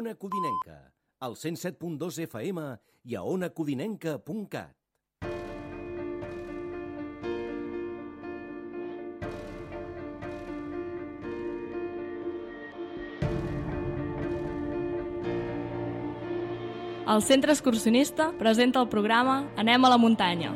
Ona Codinenca, al 107.2 FM i a onacodinenca.cat. El Centre Excursionista presenta el programa Anem a la muntanya.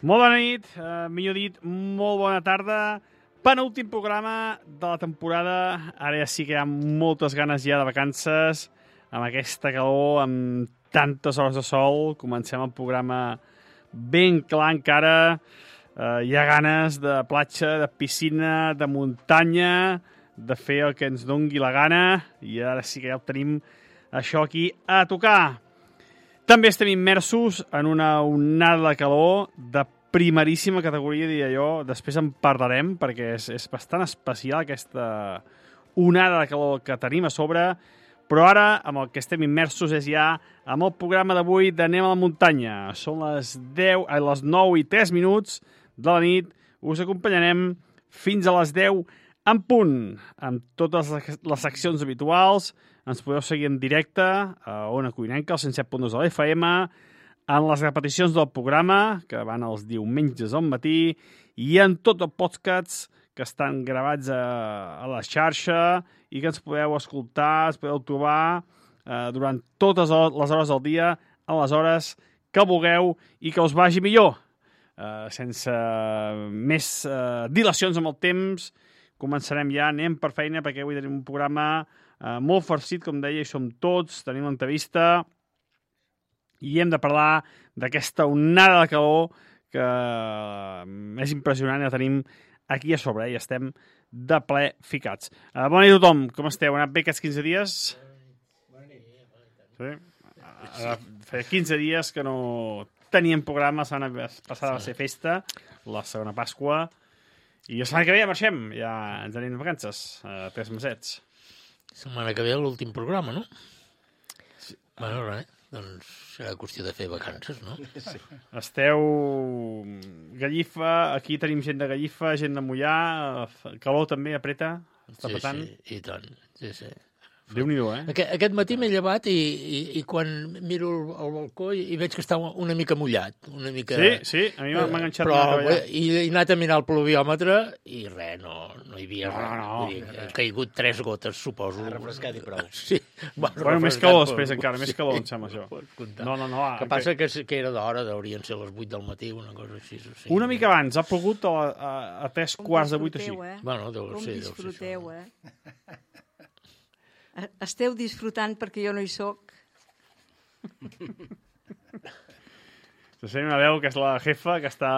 Molt bona nit, millor dit, molt bona tarda. Penúltim programa de la temporada. Ara ja sí que hi ha moltes ganes ja de vacances, amb aquesta calor, amb tantes hores de sol. Comencem el programa ben clar encara. Hi ha ganes de platja, de piscina, de muntanya, de fer el que ens dongui la gana. I ara sí que ja ho tenim això aquí a tocar. També estem immersos en una onada de calor de primeríssima categoria, diria jo. Després en parlarem, perquè és bastant especial aquesta onada de calor que tenim a sobre. Però ara, amb el que estem immersos, és ja amb el programa d'avui d'Anem a la muntanya. Són les 9:03 de la nit. Us acompanyarem fins a les 10 en punt, amb totes les seccions habituals. Ens podeu seguir en directe a Ona Codinenca, al 107.2 de l'FM, en les repeticions del programa, que van els diumenges al matí, i en tots els podcasts que estan gravats a la xarxa i que ens podeu escoltar, ens podeu trobar durant totes les hores del dia, a les hores que vulgueu i que us vagi millor. Sense més dilacions amb el temps, començarem ja, anem per feina, perquè avui tenim un programa molt farcit, com deia, i som tots, tenim l'entrevista i hem de parlar d'aquesta onada de calor que és impressionant, ja tenim aquí a sobre, i estem de ple ficats. Bona nit a tothom, com esteu? Ha anat bé aquests 15 dies? Bona nit. Sí? Feia 15 dies que no teníem programa, la setmana passada va ser festa, la segona Pasqua, i la setmana que ve ja marxem, ja ens anem de vacances, 3 mesets. Setmana que ve l'últim programa, no? Sí. Bueno, res, doncs serà qüestió de fer vacances, no? Sí. Esteu Gallifa, aquí tenim gent de Gallifa, gent de Mollà, calor també, apreta, està petant. Sí, i tant, sí. Déu-n'hi-do, Aquest matí m'he llevat i quan miro al balcó i veig que està una mica mullat. Una mica... Sí, a mi m'ha enganxat. Però he anat a mirar el pluviòmetre i res, no hi havia res. No. Ha caigut 3 gotes, suposo. Ha refrescat i prou. Sí. Bueno, més calor després encara, més calor, em sembla això. No. Que passa que era d'hora, haurien ser les 8 del matí, una cosa així. Una mica abans, ha plogut a 3 quarts de 8 així. Bueno, deu ser. disfruteu, esteu disfrutant perquè jo no hi soc. Se sent una veu que és la jefa, que està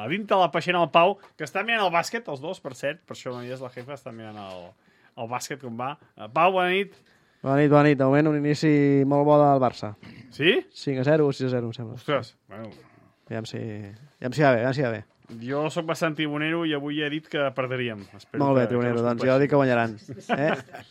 a dintre la peixera del Pau, que està mirant el bàsquet, els dos, per cert, per això no hi és la jefa, està mirant el bàsquet com va. Pau, bona nit. Bona nit, bona nit. De moment un inici molt bo del Barça. Sí? 5-0 o 6-0, em sembla. Ostres, bueno... Aviam si va bé, aviam si va bé. Jo sóc bastant tribunero i avui he dit que perdríem. Espero Molt bé, que tribunero, no doncs jo dic que guanyaran.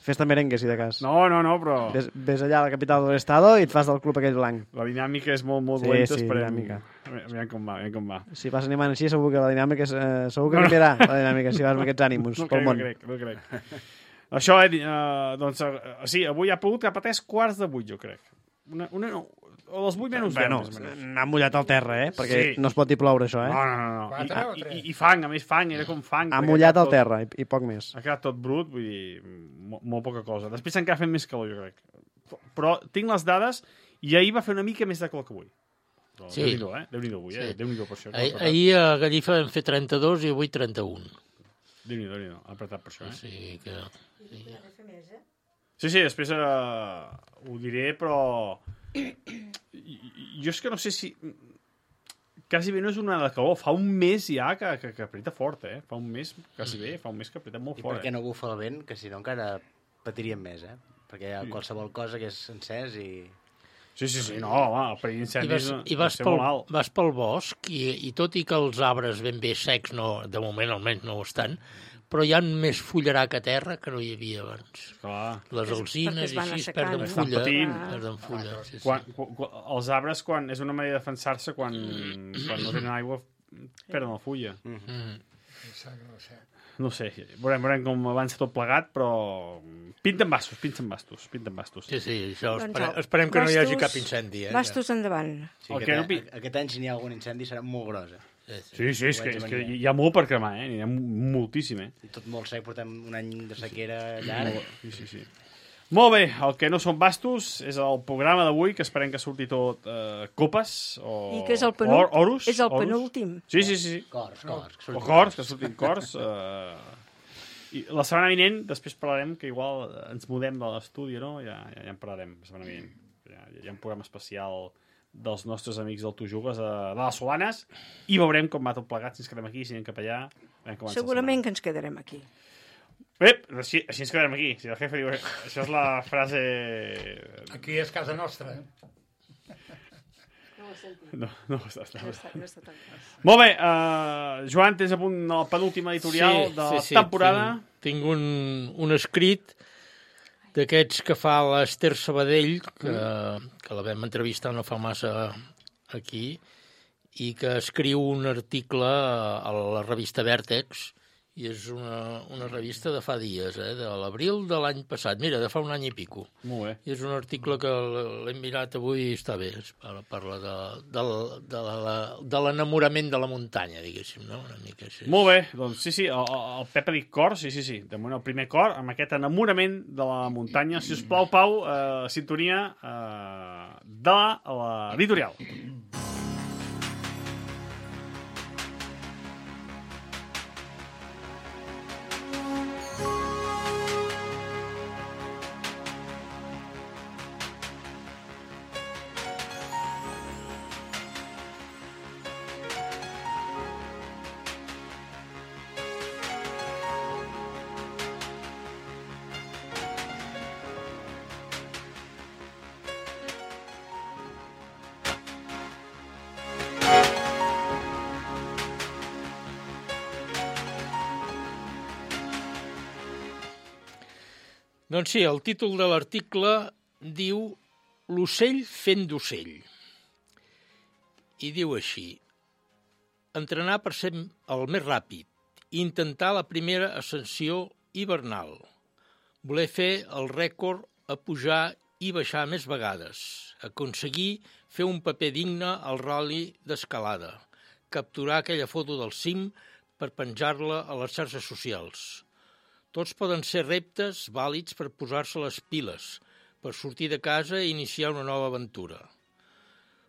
Fes-te merengue, si de cas. No, però... Ves allà a la capital de l'estado i et fas del club aquell blanc. La dinàmica és molt dolenta, Sí, esperem. dinàmica. Aviam com va. Si vas animant així, segur que la dinàmica segur que canviarà, la dinàmica, si vas amb aquests ànims pel món. No crec. Això, doncs, sí, avui ha plogut cap a 3:15, jo crec. O dels 8 menys 10. Bueno, n'ha mullat al terra, perquè Sí. no es pot dir ploure, això, No. 4 o 3? I fang, a més fang, era com fang. Ha mullat al terra i poc més. Ha quedat tot brut, vull dir, molt poca cosa. Després encara fent més calor, jo crec. Però tinc les dades i ahir va fer una mica més de calor que avui. Sí. Déu-n'hi-do, Déu-n'hi-do avui, Sí. Déu-n'hi-do per això. Ahir a Gallifa vam fer 32 i avui 31. Déu-n'hi-do, ha apretat per això, O sigui que... Sí, després ho diré, però... Jo és que no sé si... Quasi bé no és una de calor. Fa un mes ja que apreta fort, Fa un mes, quasi bé, fa un mes que apreta molt I fort. perquè no bufa el vent, que si no encara patiríem més, Perquè hi ha qualsevol cosa que és encès i... Sí, no, home, el perill d'incendis vas ser molt alt. vas pel bosc i tot i que els arbres ben bé secs, no, de moment almenys no ho estan, però hi ha més fullarac a terra que no hi havia abans. Clar. Les alzines i així assecant, perden no? fulla. patint. Perden fulla, sí. Els arbres, és una manera de defensar-se quan no tenen aigua, perden la fulla. No sé, veurem com avança tot plegat, però pinten bastos. Sí, això Doncs esperem que no hi hagi bastos- cap incendi. Bastos endavant. Sí, El que no aquest any, si n'hi ha algun incendi, serà molt gros, Sí, és que hi ha molt per cremar, N'hi ha moltíssim, I tot molt sec, portem un any de sequera llarg. Sí. Molt bé, el que no són bastos és el programa d'avui, que esperem que surti tot copes o I que és el oros. És el oros. penúltim. Sí. Cors. O cors, que surtin cors. I la setmana vinent, després parlarem, que igual ens mudem de l'estudi, no? Ja en parlarem, la setmana vinent. Hi ha un programa especial dels nostres amics del Tu Jugues de les Solanes i veurem com va tot plegat, si ens quedem aquí, si anem cap allà. Segurament que ens quedarem aquí. Bé, així ens quedarem aquí. Si la jefa diu... Això és la frase... Aquí és casa nostra. No està tant. Molt bé, Joan, tens a punt el penúltim editorial de la temporada. Tinc un escrit d'aquests que fa l'Ester Sabadell, que la vam entrevistar no fa massa aquí, i que escriu un article a la revista Vèrtex, i és una revista de fa dies, de l'abril de l'any passat. Mira, de fa un any i pico. Molt bé. I és un article que l'hem mirat avui i està bé. Parla de l'enamorament de la muntanya, diguéssim, no? Una mica així. Molt bé, doncs sí, el Pep ha dit cor, sí. De moment el primer cor, amb aquest enamorament de la muntanya. Si us plau, Pau, sintonia de l'editorial. Doncs sí, el títol de l'article diu L'ocell fent d'ocell. I diu així: entrenar per ser el més ràpid, intentar la primera ascensió hivernal, voler fer el rècord a pujar i baixar més vegades, aconseguir fer un paper digne al ral·li d'escalada, capturar aquella foto del cim per penjar-la a les xarxes socials. Tots poden ser reptes vàlids per posar-se les piles, per sortir de casa i iniciar una nova aventura.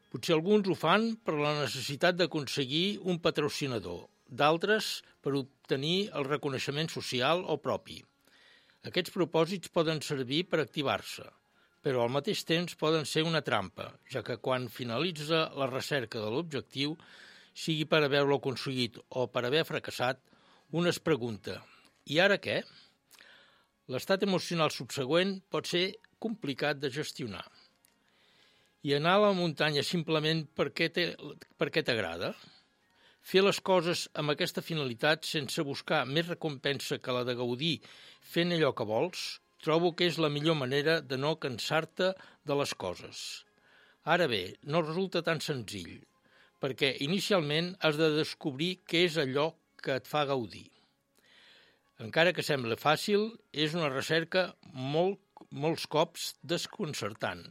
Potser alguns ho fan per la necessitat d'aconseguir un patrocinador, d'altres per obtenir el reconeixement social o propi. Aquests propòsits poden servir per activar-se, però al mateix temps poden ser una trampa, ja que quan finalitza la recerca de l'objectiu, sigui per haver-lo aconseguit o per haver fracassat, un es pregunta: i ara què? L'estat emocional subsegüent pot ser complicat de gestionar. I anar a la muntanya simplement perquè t'agrada? Fer les coses amb aquesta finalitat sense buscar més recompensa que la de gaudir fent allò que vols, trobo que és la millor manera de no cansar-te de les coses. Ara bé, no resulta tan senzill, perquè inicialment has de descobrir què és allò que et fa gaudir. Encara que sembla fàcil, és una recerca molts cops desconcertant,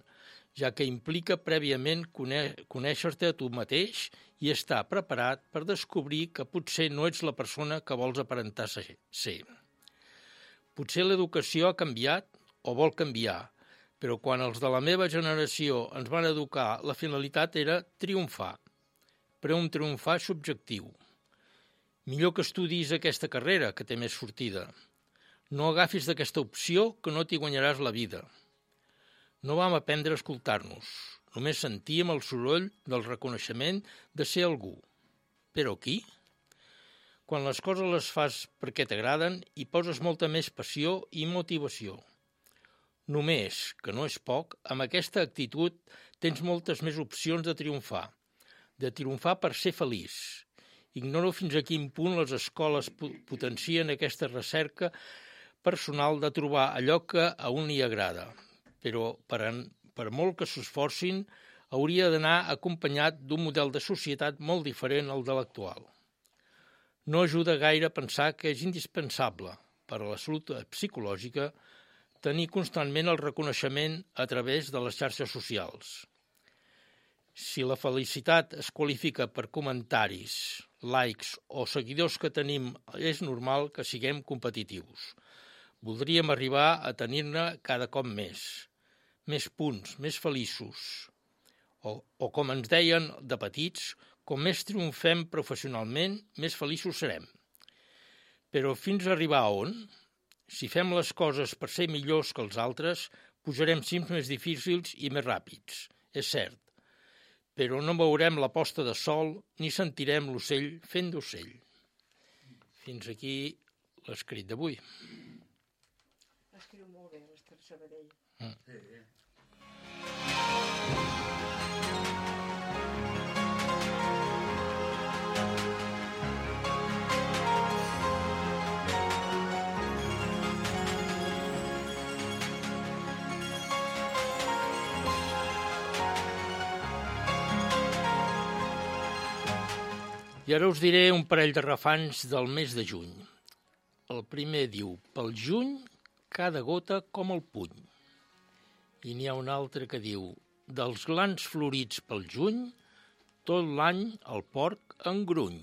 ja que implica prèviament conèixer-te a tu mateix i estar preparat per descobrir que potser no ets la persona que vols aparentar ser. Potser l'educació ha canviat o vol canviar, però quan els de la meva generació ens van educar, la finalitat era triomfar, però un triomfar subjectiu. Millor que estudis aquesta carrera, que té més sortida. No agafis d'aquesta opció, que no t'hi guanyaràs la vida. No vam aprendre a escoltar-nos. Només sentíem el soroll del reconeixement de ser algú. Però qui? Quan les coses les fas perquè t'agraden, hi poses molta més passió i motivació. Només, que no és poc, amb aquesta actitud tens moltes més opcions de triomfar per ser feliç. Ignoro fins a quin punt les escoles potencien aquesta recerca personal de trobar allò que a un li agrada, però per molt que s'esforcin, hauria d'anar acompanyat d'un model de societat molt diferent al de l'actual. No ajuda gaire a pensar que és indispensable per a la salut psicològica tenir constantment el reconeixement a través de les xarxes socials. Si la felicitat es qualifica per comentaris, likes o seguidors que tenim, és normal que siguem competitius. Voldríem arribar a tenir-ne cada cop més punts, més feliços. O com ens deien de petits, com més triomfem professionalment, més feliços serem. Però fins a arribar a on? Si fem les coses per ser millors que els altres, pujarem cims més difícils i més ràpids, és cert. Però no veurem la posta de sol ni sentirem l'ocell fent d'ocell. Fins aquí l'escrit d'avui. Escriu molt bé, l'Ester Sabadell. I ara us diré un parell de refans del mes de juny. El primer diu: pel juny, cada gota com el puny. I n'hi ha un altre que diu: dels glans florits pel juny, tot l'any el porc engruny.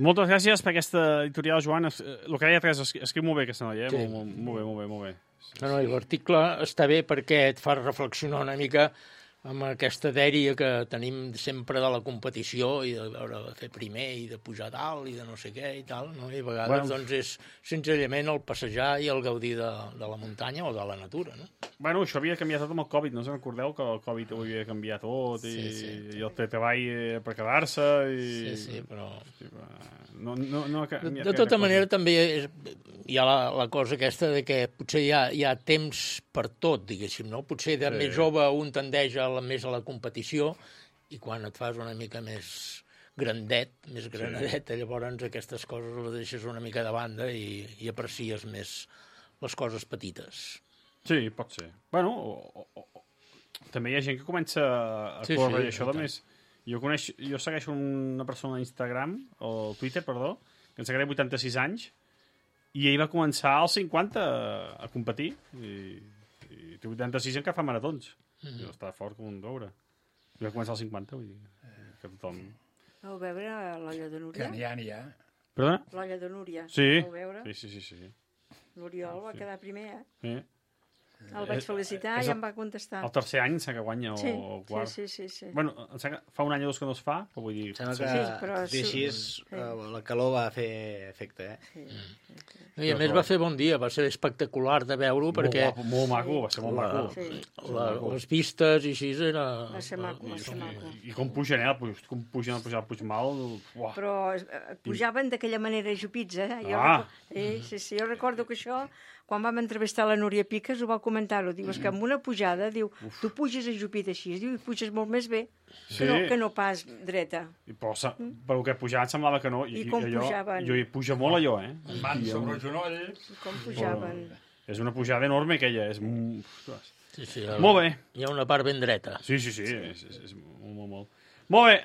Moltes gràcies per aquesta editorial, Joan. El que deia Teresa, escriu molt bé aquesta noia, eh? Sí. Molt bé. No, l'article està bé perquè et fa reflexionar una mica amb aquesta dèria que tenim sempre de la competició i de veure de fer primer i de pujar dalt i de no sé què i tal, no? I a vegades doncs és senzillament el passejar i el gaudir de la muntanya o de la natura, no? Bueno, això havia canviat tot amb el Covid, no us en recordeu que el Covid ho havia canviat tot i el treball per quedar-se i... Sí, però... De tota manera també hi ha la cosa aquesta de que potser hi ha temps per tot, diguéssim, no? Potser de més jove un tendeix més a la competició i quan et fas una mica més grandet, més granadet, llavors aquestes coses les deixes una mica de banda i aprecies més les coses petites. Sí, pot ser. Bueno, també hi ha gent que comença a córrer i això de més. Jo segueixo una persona a Instagram, o Twitter, perdó, que ens agrada 86 anys, i ell va començar als 50 a competir, i té 86 encara fa maratons. I està fort com un doure. I va començar als 50, vull dir, que tothom... Vau veure l'olla de Que Núria? n'hi ha. Perdona? L'olla de Núria. Sí. Vau veure? Sí. L'Oriol va quedar primer, eh? Sí. El vaig felicitar i em va contestar. El tercer any que guanya Sí, o quart. sí. Bueno, em sembla que fa un any o dos que no es fa, però vull dir... Sembla que, Sí, però tot i així, la calor va fer efecte, eh? I a més va fer bon dia, va ser espectacular de veure-ho, perquè Molt maco, va ser molt maco. Sí. les vistes i així era... Va ser maco, va ser maco. I com pugen, com pugen el Puigmal... Uah. Però pujaven d'aquella manera ajupits, eh? Sí, jo recordo que això, quan vam entrevistar la Núria Piques, ho va comentar-ho. Diu, és que amb una pujada, diu, tu puges ajupit així, diu, i puges molt més bé que no pas dreta. Però pel que pujaven semblava que no. I com pujaven. Jo hi puja molt allò, eh? Mans sobre els genolls. I com pujaven. És una pujada enorme aquella. És... Sí, Molt bé. Hi ha una part ben dreta. Sí. És molt. Molt bé,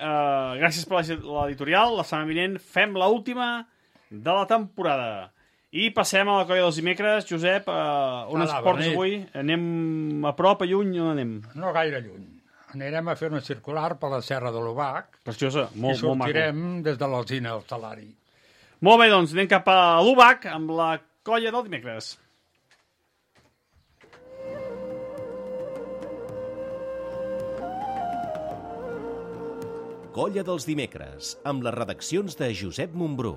gràcies per l'editorial. La setmana vinent fem l'última de la temporada. I passem a la colla dels dimecres. Josep, on ens portes avui? Anem a prop, a lluny, on anem? No gaire lluny. Anirem a fer una circular per la Serra de l'Obac. Preciosa, I molt maco. sortirem des de l'Alzina al Salari. Molt bé, doncs anem cap a l'Ubac amb la colla del dimecres. Colla dels dimecres, amb les redaccions de Josep Montbrú.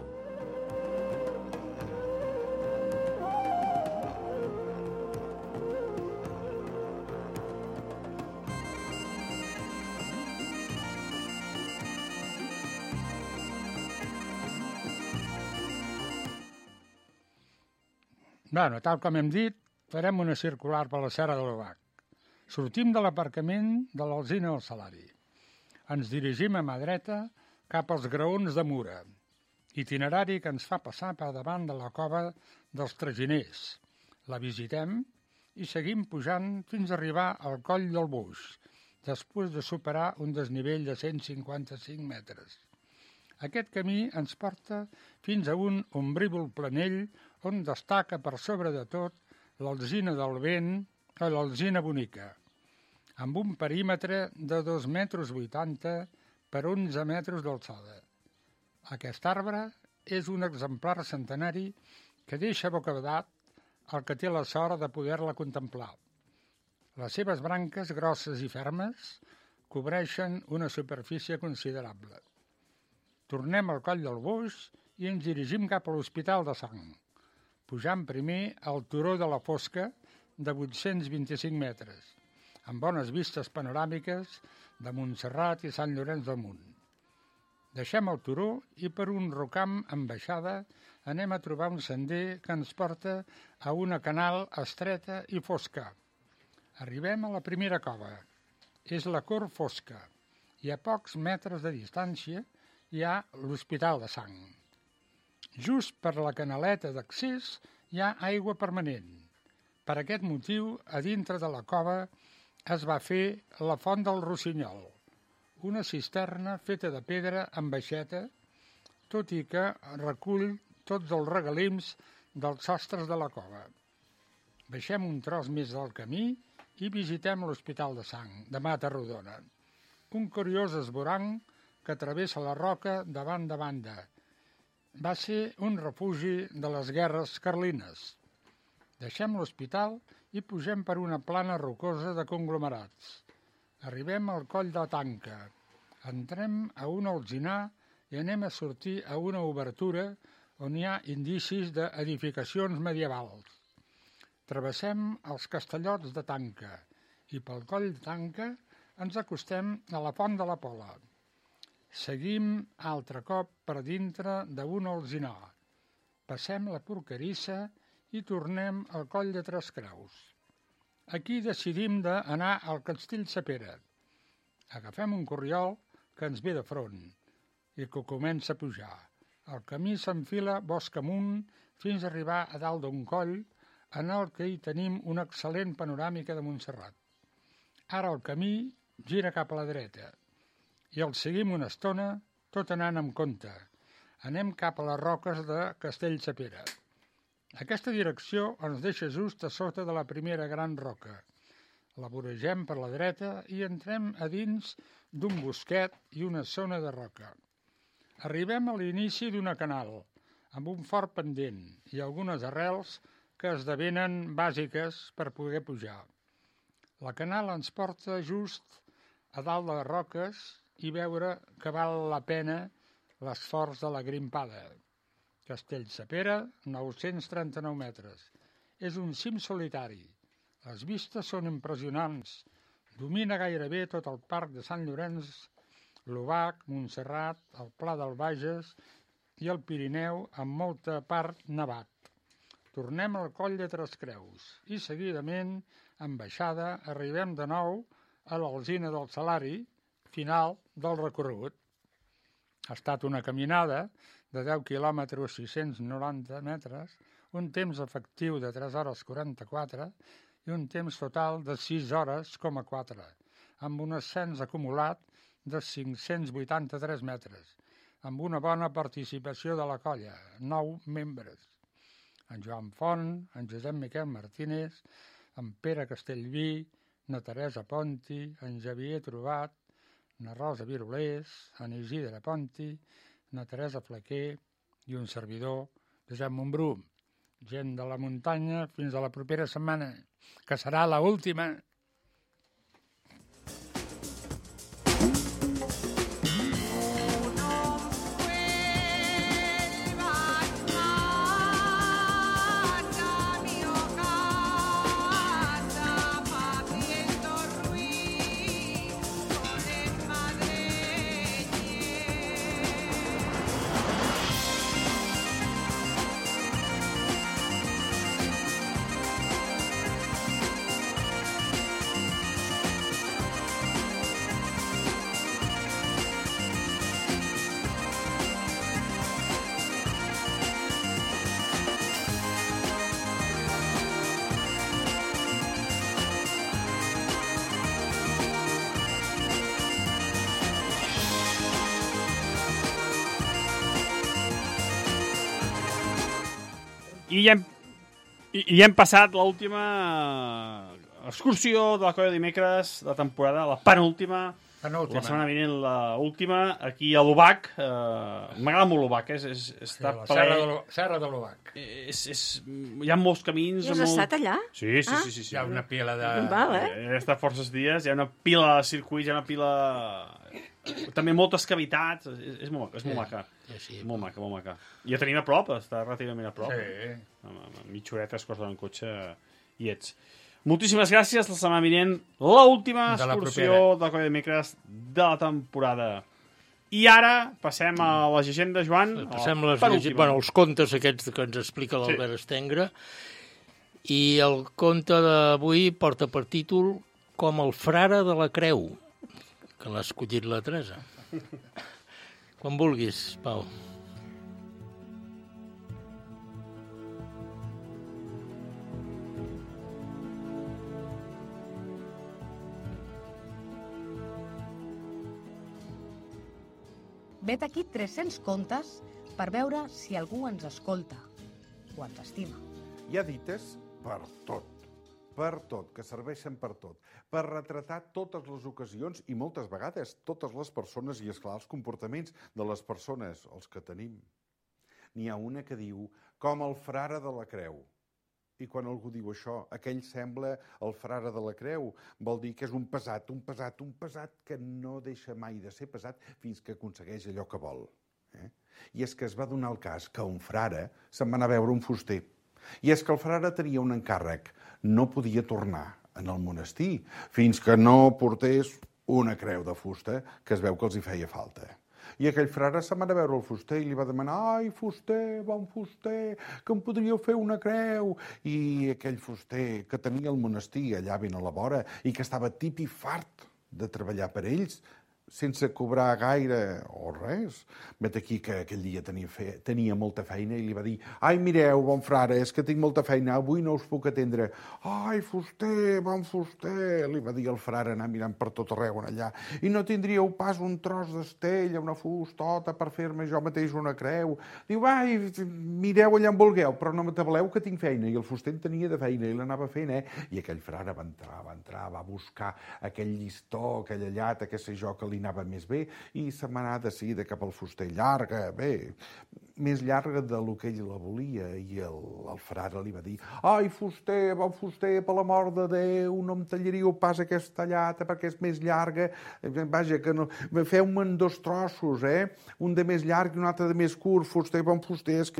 Bueno, tal com hem dit, farem una circular per la Serra de l'Obac. Sortim de l'aparcament de l'Alzina al Salari. Ens dirigim a mà dreta cap als graons de Mura, itinerari que ens fa passar per davant de la cova dels Traginers. La visitem i seguim pujant fins a arribar al coll del Boix, després de superar un desnivell de 155 metres. Aquest camí ens porta fins a un ombrívol planell on destaca per sobre de tot l'Alzina del Vent o l'Alzina Bonica, amb un perímetre de 2,80 metres per 11 metres d'alçada. Aquest arbre és un exemplar centenari que deixa bocabadat el que té la sort de poder-la contemplar. Les seves branques, grosses i fermes, cobreixen una superfície considerable. Tornem al coll del Boix i ens dirigim cap a l'Hospital de Sang, pujant primer al turó de la Fosca de 825 metres, amb bones vistes panoràmiques de Montserrat i Sant Llorenç del Munt. Deixem el turó i per un rocam amb baixada anem a trobar un sender que ens porta a una canal estreta i fosca. Arribem a la primera cova. És la Cor Fosca i a pocs metres de distància hi ha l'Hospital de Sang. Just per la canaleta d'accés hi ha aigua permanent. Per aquest motiu, a dintre de la cova es va fer la Font del Rossinyol, una cisterna feta de pedra amb baixeta, tot i que recull tots els regalims dels sostres de la cova. Baixem un tros més del camí i visitem l'Hospital de Sang, de Mata Rodona, un curiós esvoranc que travessa la roca de banda a banda. Va ser un refugi de les guerres carlines. Deixem l'hospital i pugem per una plana rocosa de conglomerats. Arribem al coll de Tanca. Entrem a un alzinar i anem a sortir a una obertura on hi ha indicis d'edificacions medievals. Travessem els castellots de Tanca i pel coll de Tanca ens acostem a la Font de la Pola. Seguim altre cop per dintre d'un alzinar. Passem la Porcarissa i tornem al coll de Tres Creus. Aquí decidim d'anar al Castell Sapera. Agafem un corriol que ens ve de front i que comença a pujar. El camí s'enfila bosc amunt fins a arribar a dalt d'un coll en el que hi tenim una excel·lent panoràmica de Montserrat. Ara el camí gira cap a la dreta i el seguim una estona, tot anant amb compte. Anem cap a les roques de Castell Sapera. Aquesta direcció ens deixa just a sota de la primera gran roca. La voregem per la dreta i entrem a dins d'un bosquet i una zona de roca. Arribem a l'inici d'una canal, amb un fort pendent i algunes arrels que esdevenen bàsiques per poder pujar. La canal ens porta just a dalt de les roques i veure que val la pena l'esforç de la grimpada. Castellsepera, 939 metres. És un cim solitari. Les vistes són impressionants. Domina gairebé tot el parc de Sant Llorenç, l'Obac, Montserrat, el Pla del Bages i el Pirineu amb molta part nevat. Tornem al coll de Tres Creus i seguidament, en baixada, arribem de nou a l'Alzina del Salari, final del recorregut. Ha estat una caminada de 10 quilòmetres 690 metres, un temps efectiu de 3 hores 44 i un temps total de 6 hores,4, amb un ascens acumulat de 583 metres, amb una bona participació de la colla, 9 membres. En Joan Font, en Josep Miquel Martínez, en Pere Castellví, na Teresa Ponti, en Xavier Trobat, na Rosa Virolés, en Isidre Ponti, na Teresa Flaquer i un servidor, Josep Montbrú. Gent de la muntanya, fins a la propera setmana, que serà l'última. I ja hem passat l'última excursió de la colla de dimecres de temporada, la penúltima. La setmana vinent l'última, aquí a l'Obac. M'agrada molt l'Obac, està la serra de l'Obac. Hi ha molts camins. I has estat allà? Sí. Hi ha una pila de... He estat forces dies, hi ha una pila de circuits, hi ha una pila... També moltes cavitats, és molt maca. Sí. Molt maca. I ja tenim a prop, està relativament a prop. Sí. Amb mitja horeta es costa en cotxe i ets. Moltíssimes gràcies, la setmana vinent, l'última excursió de la colla de dimecres de la temporada. I ara passem a la llegenda, Joan. Passem els contes aquests que ens explica l'Albert Estengre. I el conte d'avui porta per títol Com el frare de la creu, que l'ha escollit la Teresa. Quan vulguis, Pau. Vet aquí 300 contes per veure si algú ens escolta o ens estima. Hi ha dites per tot, que serveixen per tot, per retratar totes les ocasions i moltes vegades totes les persones i, esclar, els comportaments de les persones, els que tenim. N'hi ha una que diu, com el frare de la creu. I quan algú diu això, aquell sembla el frare de la creu, vol dir que és un pesat que no deixa mai de ser pesat fins que aconsegueix allò que vol. I és que es va donar el cas que un frare se'n va anar a veure un fuster. I és que el frare tenia un encàrrec, no podia tornar en el monestir fins que no portés una creu de fusta que es veu que els hi feia falta. I aquell frare se'n va anar a veure el fuster i li va demanar «Ai, fuster, bon fuster, que em podríeu fer una creu?» I aquell fuster que tenia el monestir allà ben a la vora i que estava tip i fart de treballar per ells, sense cobrar gaire o res. Vet aquí que aquell dia tenia molta feina i li va dir: ai, mireu, bon frare, és que tinc molta feina, avui no us puc atendre. Ai, fuster, bon fuster, li va dir el frare, anar mirant per tot arreu allà. I no tindríeu pas un tros d'estella, una fustota per fer-me jo mateix una creu? Diu: ai, mireu allà on vulgueu, però no m'atabaleu que tinc feina. I el fuster en tenia de feina i l'anava fent, I aquell frare va entrar, va buscar aquell llistó, aquella llata, que sé jo, que li anava més bé, i se m'anà de seguida cap al fuster. Llarga, bé, més llarga del que ell la volia, i el frare li va dir: ai, fuster, bon fuster, per l'amor de Déu, no em tallaríeu pas aquesta llata perquè és més llarga, vaja, que no, feu-me en 2 trossos, un de més llarg i un altre de més curt, fuster, bon fuster, és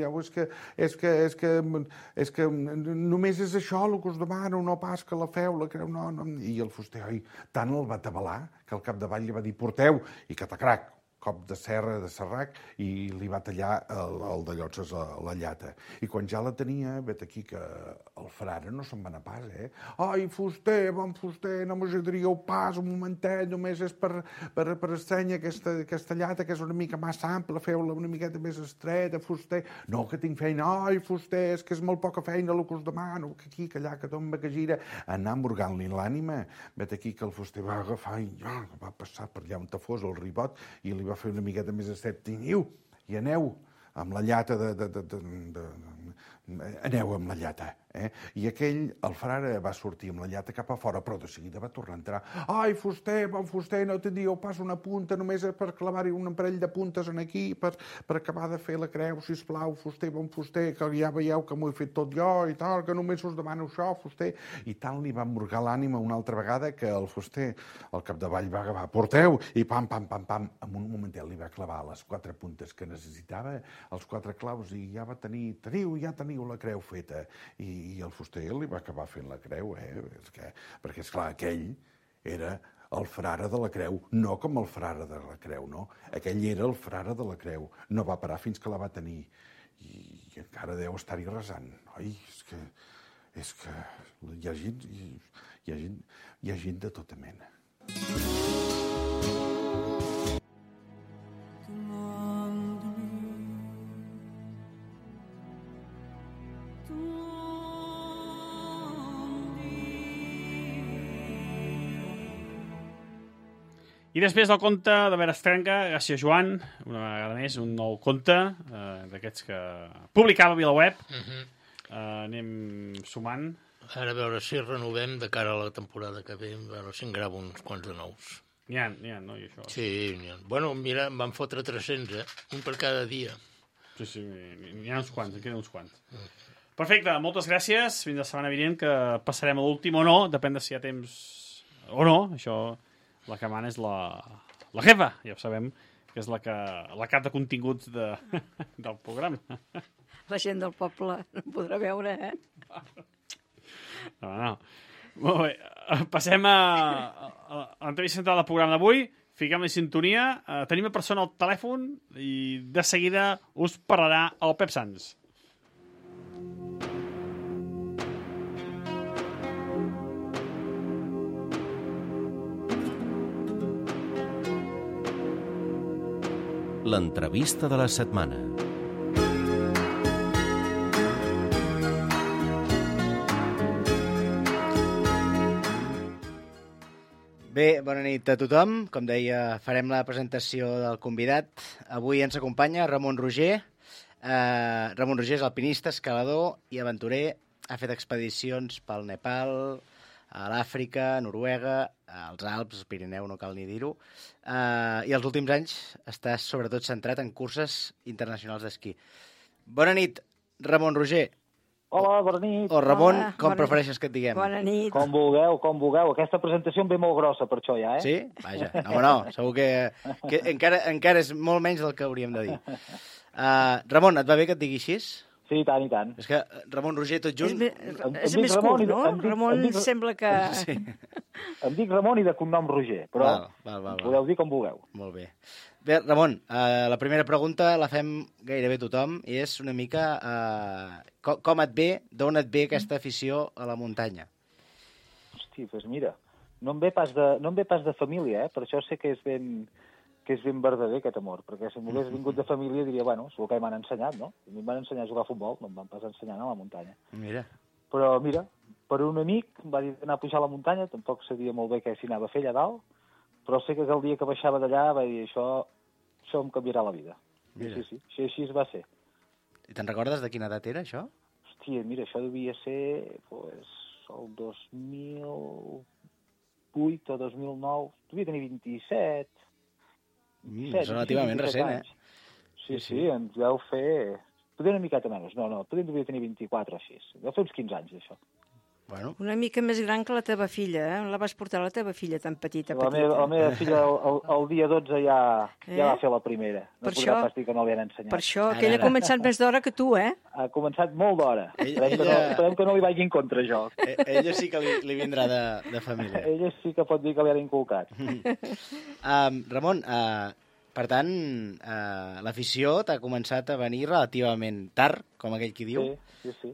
que només és això el que us demano, no pas que la feu, la creu, no. I el fuster, tant el va atabalar que al capdavall li va dir: porteu, i catacrac, cop de serra, de serrac, i li va tallar el de llotses la llata. I quan ja la tenia, vet aquí que el frare no se'n va anar pas, ai, fuster, bon fuster, no m'ajudaríeu pas un momentet, només és per estrènyer aquesta llata, que és una mica massa ampla, feu-la una miqueta més estreta, fuster. No, que tinc feina. Ai, fuster, és que és molt poca feina el que us demano, que aquí, que allà, que tomba, que gira. Anar emmorgant-li l'ànima. Vet aquí que el fuster va agafar i va passar per allà on fos el ribot i li va fer una miqueta més estret. Teniu, i aneu amb la llata aneu amb la llata. I aquell, el frare, va sortir amb la llata cap a fora, però de seguida va tornar a entrar. Ai, fuster, bon fuster, no tindríeu pas una punta, només per clavar-hi un parell de puntes en aquí, per acabar de fer la creu, sisplau, fuster, bon fuster, que ja veieu que m'ho he fet tot jo i tal, que només us demano això, fuster. I tant li va emmorgar l'ànima una altra vegada que el fuster, al capdavall, va agafar: porteu, i pam, pam, pam, pam, en un momentet li va clavar les 4 puntes que necessitava, els 4 claus, i ja va ja teniu la creu feta. I el fuster li va acabar fent la creu, perquè, esclar, aquell era el frare de la creu, no com el frare de la creu, no. Aquell era el frare de la creu. No va parar fins que la va tenir. I encara deu estar-hi resant. Ai, és que hi ha gent de tota mena. I després del conte de Berestrenga, gràcies Joan, una vegada més, un nou conte d'aquests que publicava a VilaWeb. Anem sumant. Ara a veure si renovem de cara a la temporada que ve, a veure si en gravo uns quants de nous. N'hi ha, no? I això. Sí, n'hi ha. Bueno, mira, em van fotre 300, un per cada dia. Sí, n'hi ha uns quants, en queden uns quants. Perfecte, moltes gràcies. Fins la setmana vinent, que passarem a l'últim o no, depèn de si hi ha temps o no, això... La que mana és la jefa, ja ho sabem, que és la cap de continguts del programa. La gent del poble no podrà veure, No. Molt bé, passem a l'entrevista central del programa d'avui. Fiquem la sintonia. Tenim una persona al telèfon i de seguida us parlarà el Pep Sans. L'entrevista de la setmana. Bé, bona nit a tothom. Com deia, farem la presentació del convidat. Avui ens acompanya Ramon Roger. Ramon Roger és alpinista, escalador i aventurer. Ha fet expedicions pel Nepal, a l'Àfrica, a Noruega, als Alps, al Pirineu, no cal ni dir-ho. I els últims anys està sobretot centrat en curses internacionals d'esquí. Bona nit, Ramon Roger. Hola, bona nit. O Ramon, com prefereixes que et diguem? Bona nit. Com vulgueu. Aquesta presentació em ve molt grossa per això ja, Sí? Vaja, no, segur que encara és molt menys del que hauríem de dir. Ramon, et va bé que et digui així? Sí, tant i tant. És que Ramon Roger tot junt... És més curt, no? Ramon sembla que... Sí. Em dic Ramon i de cognom Roger, però podeu dir com vulgueu. Molt bé. Bé, Ramon, la primera pregunta la fem gairebé tothom i és una mica com et ve, d'on et ve aquesta afició a la muntanya? Hosti, doncs mira, no em ve pas de família, per això sé que és ben verdader aquest amor, perquè si m'hagués vingut de família diria, bueno, és el que m'han ensenyat, no? A mi em van ensenyar a jugar a futbol, no em van pas ensenyar a la muntanya. Mira. Però mira, per un amic em va dir d'anar a pujar a la muntanya, tampoc sabia molt bé què s'hi anava a fer allà dalt, però sé que el dia que baixava d'allà va dir, això em canviarà la vida. Mira. Sí, així va ser. I te'n recordes de quina edat era, això? Hòstia, mira, això devia ser el 2008 o 2009, devia tenir 27, és relativament recent, Sí, ens deu fer... Poder una miqueta menys, no, poder devia tenir 24 així. Deu fer uns 15 anys, això. Bueno. Una mica més gran que la teva filla, eh? La vas portar a la teva filla tan petita. La meva filla el dia 12 ja va fer la primera. No podrà pas dir que no li han ensenyat. Per això, que ella ha començat més d'hora que tu, eh? Ha començat molt d'hora. Esperem que no li vagi en contra, jo. Ella sí que li vindrà de família. Ella sí que pot dir que li han inculcat. Ramon, per tant, l'afició t'ha començat a venir relativament tard, com aquell qui diu. Sí.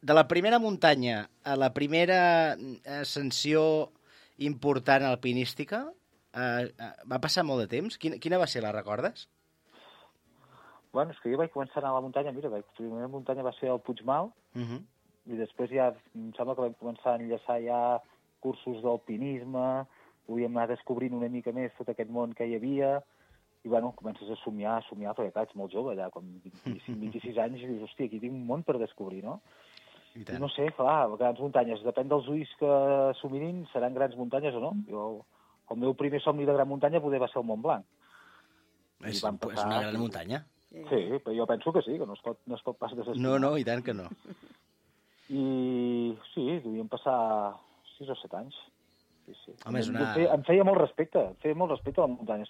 De la primera muntanya a la primera ascensió important alpinística, va passar molt de temps? Quina va ser, la recordes? Bueno, és que jo vaig començar a anar a la muntanya, mira, la primera muntanya va ser el Puigmal, i després ja em sembla que vam començar a enllaçar ja cursos d'alpinisme, podíem anar descobrint una mica més tot aquest món que hi havia, i bueno, comences a somiar, perquè clar, ets molt jove, allà, com 25-26 anys, i dius, hòstia, aquí tinc un món per descobrir, no? I no sé, clar, grans muntanyes, depèn dels ulls que s'ho mirin, seran grans muntanyes o no. El meu primer somni de gran muntanya poder va ser el Mont Blanc. És una gran muntanya. Sí, però jo penso que sí, que no es pot pas desestimar. No, i tant que no. I sí, devien passar 6 o 7 anys. Sí. Home, em feia molt respecte a la muntanya.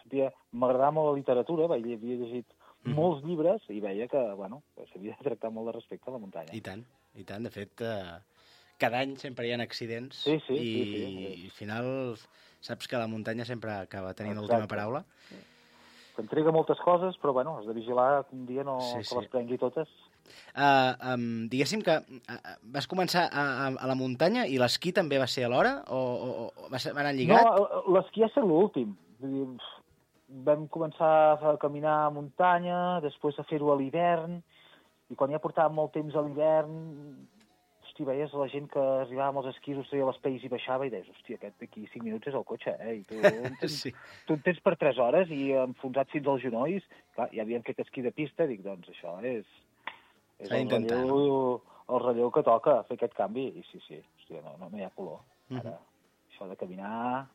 M'agradava molt la literatura, havia llegit molts llibres i veia que, bueno, s'havia de tractar molt de respecte a la muntanya. I tant. De fet, cada any sempre hi ha accidents i al final saps que la muntanya sempre acaba tenint l'última paraula. T'entrega moltes coses, però bueno, has de vigilar que un dia no que les prengui totes. Diguéssim que vas començar a la muntanya i l'esquí també va ser alhora o va anar lligat? No, l'esquí ha estat l'últim. Vam començar a caminar a muntanya, després a fer-ho a l'hivern, i quan ja portàvem molt temps a l'hivern, hosti, veies la gent que arribava amb els esquís, treia les pells i baixava i deies, hòstia, aquest d'aquí 5 minuts és el cotxe, I tu en tens per 3 hores i enfonsat fins als genolls. Clar, ja havíem fet esquí de pista, dic, doncs això és el relleu que toca, fer aquest canvi. I sí, hòstia, no hi ha color. Ara, això de caminar...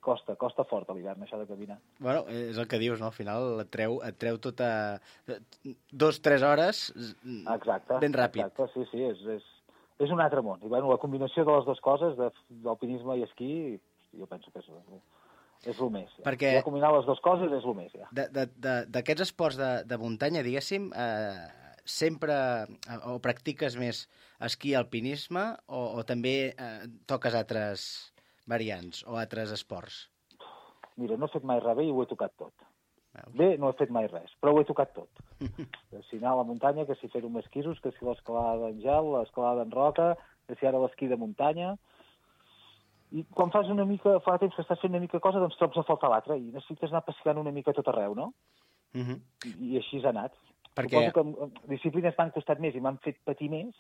Costa fort a l'hivern, això de caminar. Bueno, és el que dius, no? Al final et treu tota 2-3 hores ben ràpid. Exacte, sí, és un altre món. I bueno, la combinació de les dues coses, d'alpinisme i esquí, jo penso que és el més. Perquè... Ja combinar les dues coses és el més, ja. D'aquests esports de muntanya, diguéssim, sempre o practiques més esquí i alpinisme o també toques altres variants o altres esports? Mira, no he fet mai res bé i ho he tocat tot. Bé, no he fet mai res, però ho he tocat tot. Que si anar a la muntanya, que si fer-ho amb esquisos, que si l'escalada en gel, l'escalada en roca, que si ara l'esquí de muntanya... I quan fa temps que estàs fent una mica cosa, doncs trobes a faltar l'altra i necessites anar passejant una mica tot arreu, no? I així ha anat. Suposo que disciplines m'han costat més i m'han fet patir més,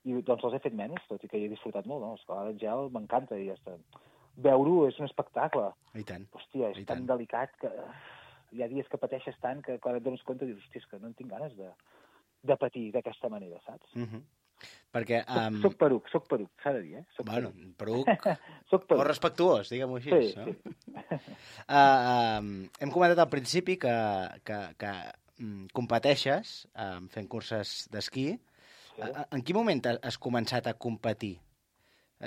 i doncs els he fet menys, tot i que hi he disfrutat molt, no? L'escalada en gel m'encanta i ja està. Veure-ho és un espectacle. I tant. Hòstia, és tan delicat que hi ha dies que pateixes tant que quan et dones compte dius, hòstia, és que no en tinc ganes de patir d'aquesta manera, saps? Perquè... Soc peruc, s'ha de dir, Bueno, peruc o respectuós, diguem-ho així. Sí. Hem comentat al principi que competeixes fent curses d'esquí. En quin moment has començat a competir?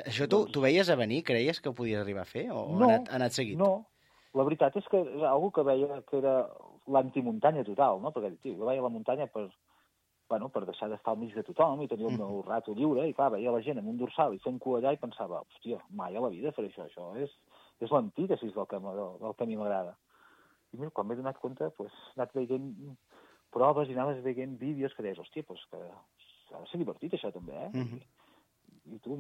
Això tu veies a venir? Creies que ho podies arribar a fer? O ha anat seguit? No, la veritat és que és algo que veia que era l'antimuntanya total, no? Perquè, jo veia la muntanya per deixar d'estar al mig de tothom i tenir el meu rato lliure, i clar, veia la gent amb un dorsal i fent cua allà i pensava, hòstia, mai a la vida faré això és l'antítesis del que a mi m'agrada. I mira, quan m'he donat compte, he anat veient proves i anaves veient vídeos que deies, hòstia, que ha de ser divertit això també, i tu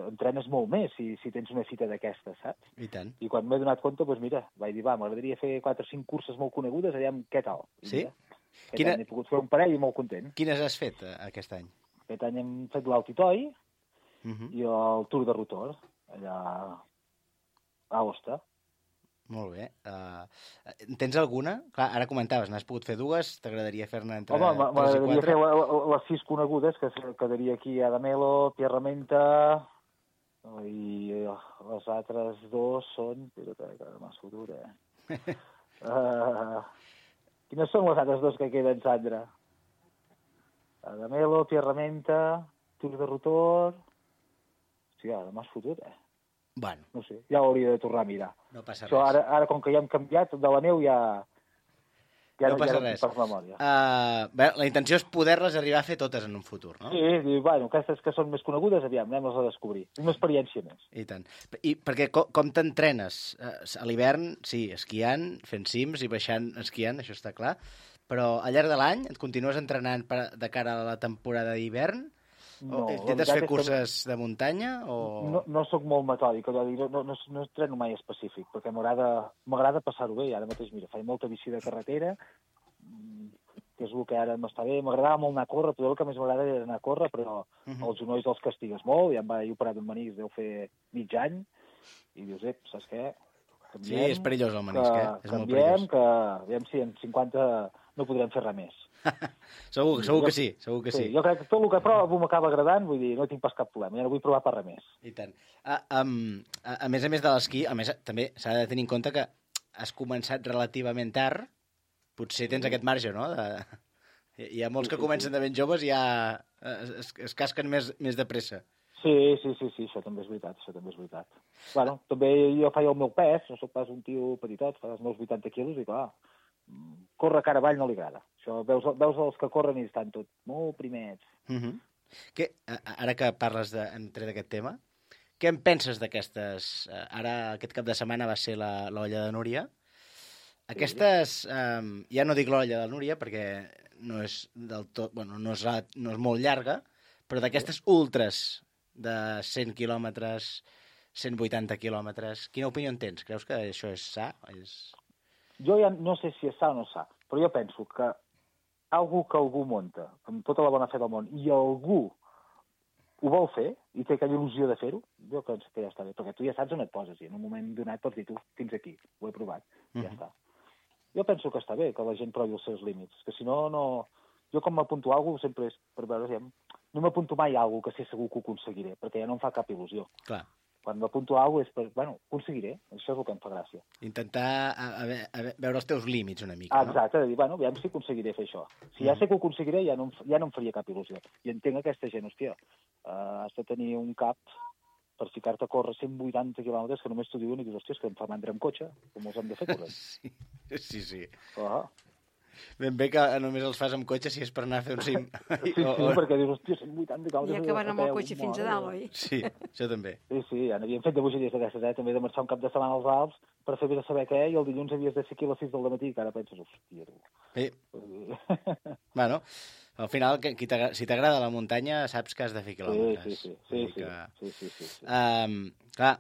entrenes molt més si tens una fita d'aquestes, saps? I tant. I quan m'he donat compte, doncs mira, vaig dir, m'agradaria fer 4 o 5 curses molt conegudes, aviam què tal. I sí? Mira, aquest any he pogut fer un parell i molt content. Quines has fet aquest any? Aquest any hem fet l'Altitoi i el Tour de Rotor, allà a Aosta. Molt bé. Tens alguna? Clar, ara comentaves, n'has pogut fer 2, t'agradaria fer-ne entre 3 i 4? M'agradaria fer les 6 conegudes, que quedaria aquí a Adamelo, Pierramenta, i les altres 2 són... Espera't, que m'has fotut, Quines són les altres 2 que queden, Sandra? Adamelo, Pierramenta, Tour de Rotor... Hòstia, ara m'has fotut, Bueno. No sé, ja ho hauria de tornar a mirar. No passa això, res. Ara, com que ja hem canviat, de la neu ja no passa res. Per memòria. Bé, la intenció és poder-les arribar a fer totes en un futur, no? Sí, bueno, aquestes que són més conegudes, aviam, anem-les a descobrir. Una experiència més. I tant. I perquè com t'entrenes? A l'hivern, sí, esquiant, fent cims i baixant esquiant, això està clar, però al llarg de l'any et continues entrenant de cara a la temporada d'hivern? No, intentes fer curses de muntanya? O... No soc molt metòdic, no entreno mai específic, perquè m'agrada passar-ho bé. Ara mateix, mira, faig molta bici de carretera, que és el que ara m'està bé. M'agradava molt anar a córrer, però el que més m'agrada era anar a córrer, però els genolls els castigues molt, ja em vaig operar d'un menisc, deu fer mig any, i dius, saps què? Canviem, sí, és perillós el menisc, És molt perillós. Que aviam si en 50 no podrem fer res més. segur que sí. Jo crec que tot el que provo m'acaba agradant, vull dir, no tinc pas cap problema, ja no vull provar per res més. I tant. A més de l'esquí, també s'ha de tenir en compte que has començat relativament tard, potser tens aquest marge, no? Hi ha molts que comencen de ben joves i ja es casquen més de pressa. Sí, això també és veritat, Bueno, també jo faig el meu pes, no soc pas un tio petitot, fa els meus 80 quilos i clar, córrer cara avall no li agrada. Això, veus els que corren i estan tot molt primets. Ara que parles d'aquest tema, què en penses d'aquestes... Ara aquest cap de setmana va ser l'olla de Núria. Aquestes, ja no dic l'olla de Núria perquè no és del tot... Bueno, no és molt llarga, però d'aquestes ultres de 100 quilòmetres, 180 quilòmetres, quina opinió en tens? Creus que això és sa? Jo ja no sé si és sa o no sa, però jo penso que algú munta amb tota la bona fe del món i algú ho vol fer i té aquella il·lusió de fer-ho, jo penso que ja està bé, perquè tu ja saps on et poses i en un moment donat pots dir tu, fins aquí, ho he provat, ja està. Jo penso que està bé que la gent provi els seus límits, que si no... Jo com m'apunto a alguna cosa sempre és per veure si... No m'apunto mai a alguna cosa que sé segur que ho aconseguiré, perquè ja no em fa cap il·lusió. Clar. Quan m'apunto a alguna cosa és per... Bueno, aconseguiré, això és el que em fa gràcia. Intentar veure els teus límits una mica, no? Exacte, de dir, bueno, aviam si aconseguiré fer això. Si ja sé que ho aconseguiré, ja no em faria cap il·lusió. I entenc aquesta gent, hòstia, has de tenir un cap per ficar-te a córrer 180 quilòmetres que només t'ho diuen i dius, hòstia, que em fa mandra amb cotxe, com els hem de fer corrent. Sí. Ben bé que només els fas amb cotxe si és per anar a fer un cim. Sí, perquè dius, hòstia, 180 quilòmetres... I acaben amb el cotxe fins a dalt, oi? Sí, això també. Sí, ja n'havíem fet de bogeries d'aquestes, també de marxar un cap de setmana als Alps per fer bé de saber què, i el dilluns havies de ser aquí a les 6 del matí, que ara penses, hòstia, tu. Sí. Bueno, al final, si t'agrada la muntanya, saps que has de fer quilòmetres. Sí. Clar,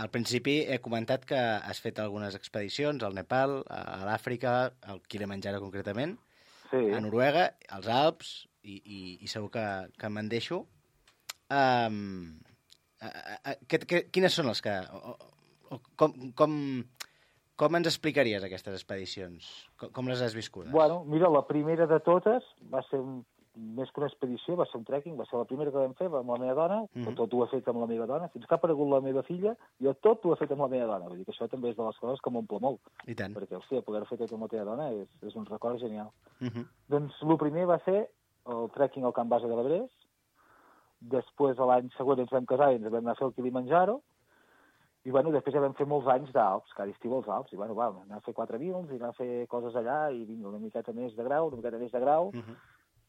al principi he comentat que has fet algunes expedicions al Nepal, a l'Àfrica, al Kilimanjaro concretament, a Noruega, als Alps, i segur que me'n deixo. Quines són les que... Com ens explicaries aquestes expedicions? Com les has viscudes? Bueno, mira, la primera de totes va ser més que una expedició, va ser un trekking, va ser la primera que vam fer amb la meva dona, tot ho he fet amb la meva dona, fins que ha aparegut la meva filla, jo tot ho he fet amb la meva dona. Vull dir que això també és de les coses que m'omple molt. I tant. Perquè, hòstia, poder fer tot amb la teva dona és un record genial. Doncs el primer va ser el trekking al Camp Base de l'Everest, després l'any següent ens vam casar i ens vam anar a fer el Kilimanjaro, i bueno, després ja vam fer molts anys d'Alps, cada estiu als Alps, i bueno, anar a fer 4 mils, i anar a fer coses allà, i vinga, una miqueta més de grau,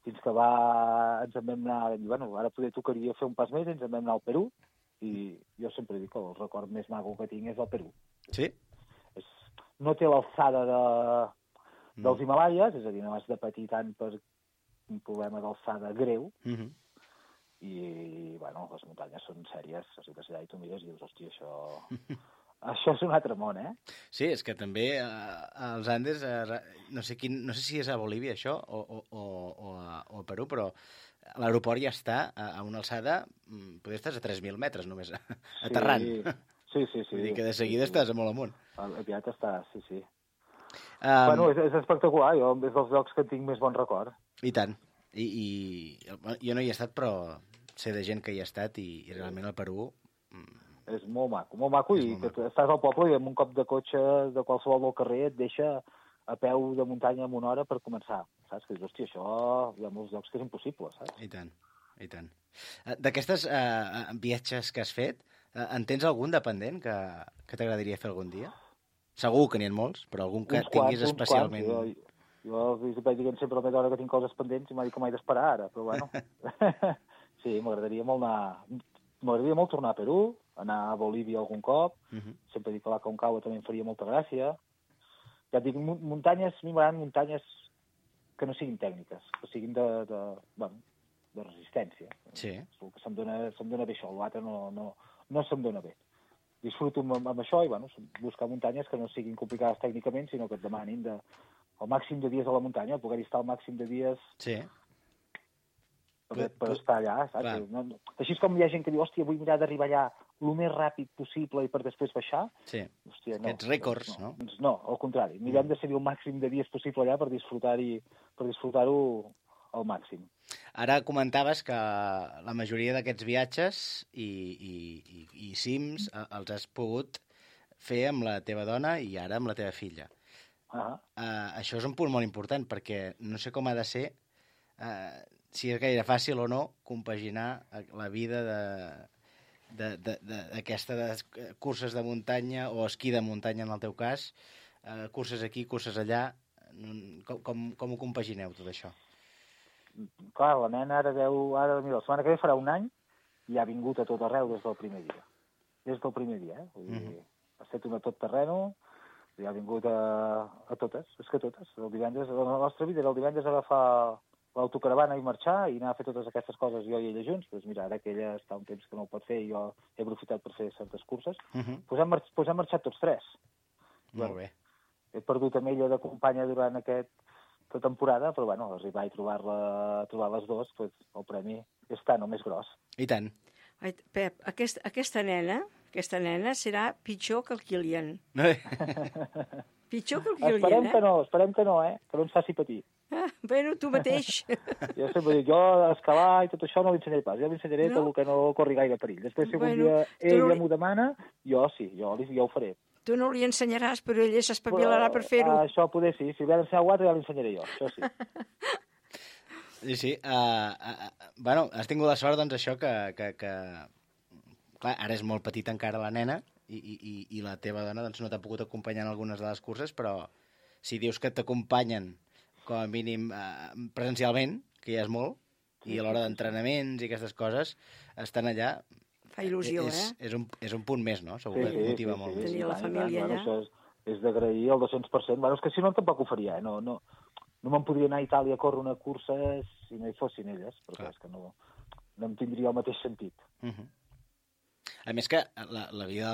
fins que ens en vam anar, i bueno, ara poder tocaria fer un pas més, ens en vam anar al Perú, i jo sempre dic que el record més maco que tinc és el Perú. Sí? No té l'alçada dels Himalaies, és a dir, no has de patir tant per un problema d'alçada greu, I, bueno, les muntanyes són sèries, arribes allà i tu mires i dius, hòstia, això és un altre món, eh? Sí, és que també als Andes, no sé si és a Bolívia això o a Perú, però l'aeroport ja està a una alçada, potser estàs a 3.000 metres només, aterrant. Sí. Vull dir que de seguida estàs a molt amunt. Aviat està, sí. Bueno, és espectacular, jo és dels llocs que tinc més bon record. I tant. I jo no hi he estat, però sé de gent que hi ha estat i realment el Perú... És molt maco, i que estàs al poble i amb un cop de cotxe de qualsevol del carrer et deixa a peu de muntanya en una hora per començar, saps? Que dius, hòstia, això hi ha molts llocs que és impossible, saps? I tant. D'aquestes viatges que has fet, en tens algun dependent que t'agradaria fer algun dia? Segur que n'hi ha molts, però algun que tinguis especialment... Jo vaig dient sempre a la meva hora que tinc coses pendents i m'ha dit que m'he d'esperar ara, però bueno. Sí, m'agradaria molt tornar a Perú, anar a Bolívia algun cop, sempre dic que l'Aconcagua també em faria molta gràcia. Ja et dic, muntanyes, a mi m'agraden muntanyes que no siguin tècniques, que siguin de resistència. Sí. El que se'm dona bé això, l'altre no se'm dona bé. Disfruto amb això i, bueno, buscar muntanyes que no siguin complicades tècnicament, sinó que et demanin el màxim de dies a la muntanya, poder estar el màxim de dies... Sí. Per estar allà, saps? No, així com hi ha gent que diu, hòstia, vull mirar d'arribar allà el més ràpid possible i per després baixar. Sí, hòstia, no, aquests rècords, no? No, al contrari. Mirem de seguir el màxim de dies possible allà per disfrutar-ho al màxim. Ara comentaves que la majoria d'aquests viatges i cims els has pogut fer amb la teva dona i ara amb la teva filla. Això és un punt molt important, perquè no sé com ha de ser... si és gaire fàcil o no compaginar la vida d'aquestes curses de muntanya o esquí de muntanya en el teu cas, curses aquí, curses allà, com ho compagineu tot això? Clar, la nena ara mira, la setmana que ve farà un any i ha vingut a tot arreu des del primer dia. Des del primer dia, Vull dir, ha estat una tot terreno i ha vingut a totes, és que totes. El divendres, la nostra vida era el divendres agafar l'autocaravana i marxar i anar a fer totes aquestes coses jo i ella junts. Doncs mira, ara que ella està un temps que no ho pot fer i jo he aprofitat per fer certes curses, doncs hem marxat tots tres. Molt bé. He perdut amb ella de companya durant aquesta temporada, però bueno, arribar i trobar les dues, doncs, el premi és tant o més gros. I tant. Ai, Pep, aquesta nena serà pitjor que el Kilian. Pitjor que el Kilian, Esperem que no, que no ens faci patir. Bueno, tu mateix. Jo sempre dic, jo escalar i tot això no l'ensenyaré pas. Jo l'ensenyaré tot el que no corri gaire perill. Després, si algun dia ella m'ho demana, jo ho faré. Tu no li ensenyaràs, però ella s'espavilarà per fer-ho. Això poder sí. Si li ha d'ensenyar algú altre, ja l'ensenyaré jo. Això sí. Sí. Bueno, has tingut la sort, doncs, això que... Clar, ara és molt petita encara la nena i la teva dona doncs, no t'ha pogut acompanyar en algunes de les curses, però si dius que t'acompanyen com a mínim presencialment, que ja és molt, i a l'hora d'entrenaments i aquestes coses, estan allà... Fa il·lusió, és un punt més, no? Segur que motiva molt. Tenir la família allà. Això és d'agrair el 200%. Bueno, és que si no tampoc ho faria, No me'n podria anar a Itàlia a córrer una cursa si no hi fossin elles, perquè és que no em tindria el mateix sentit. A més que la vida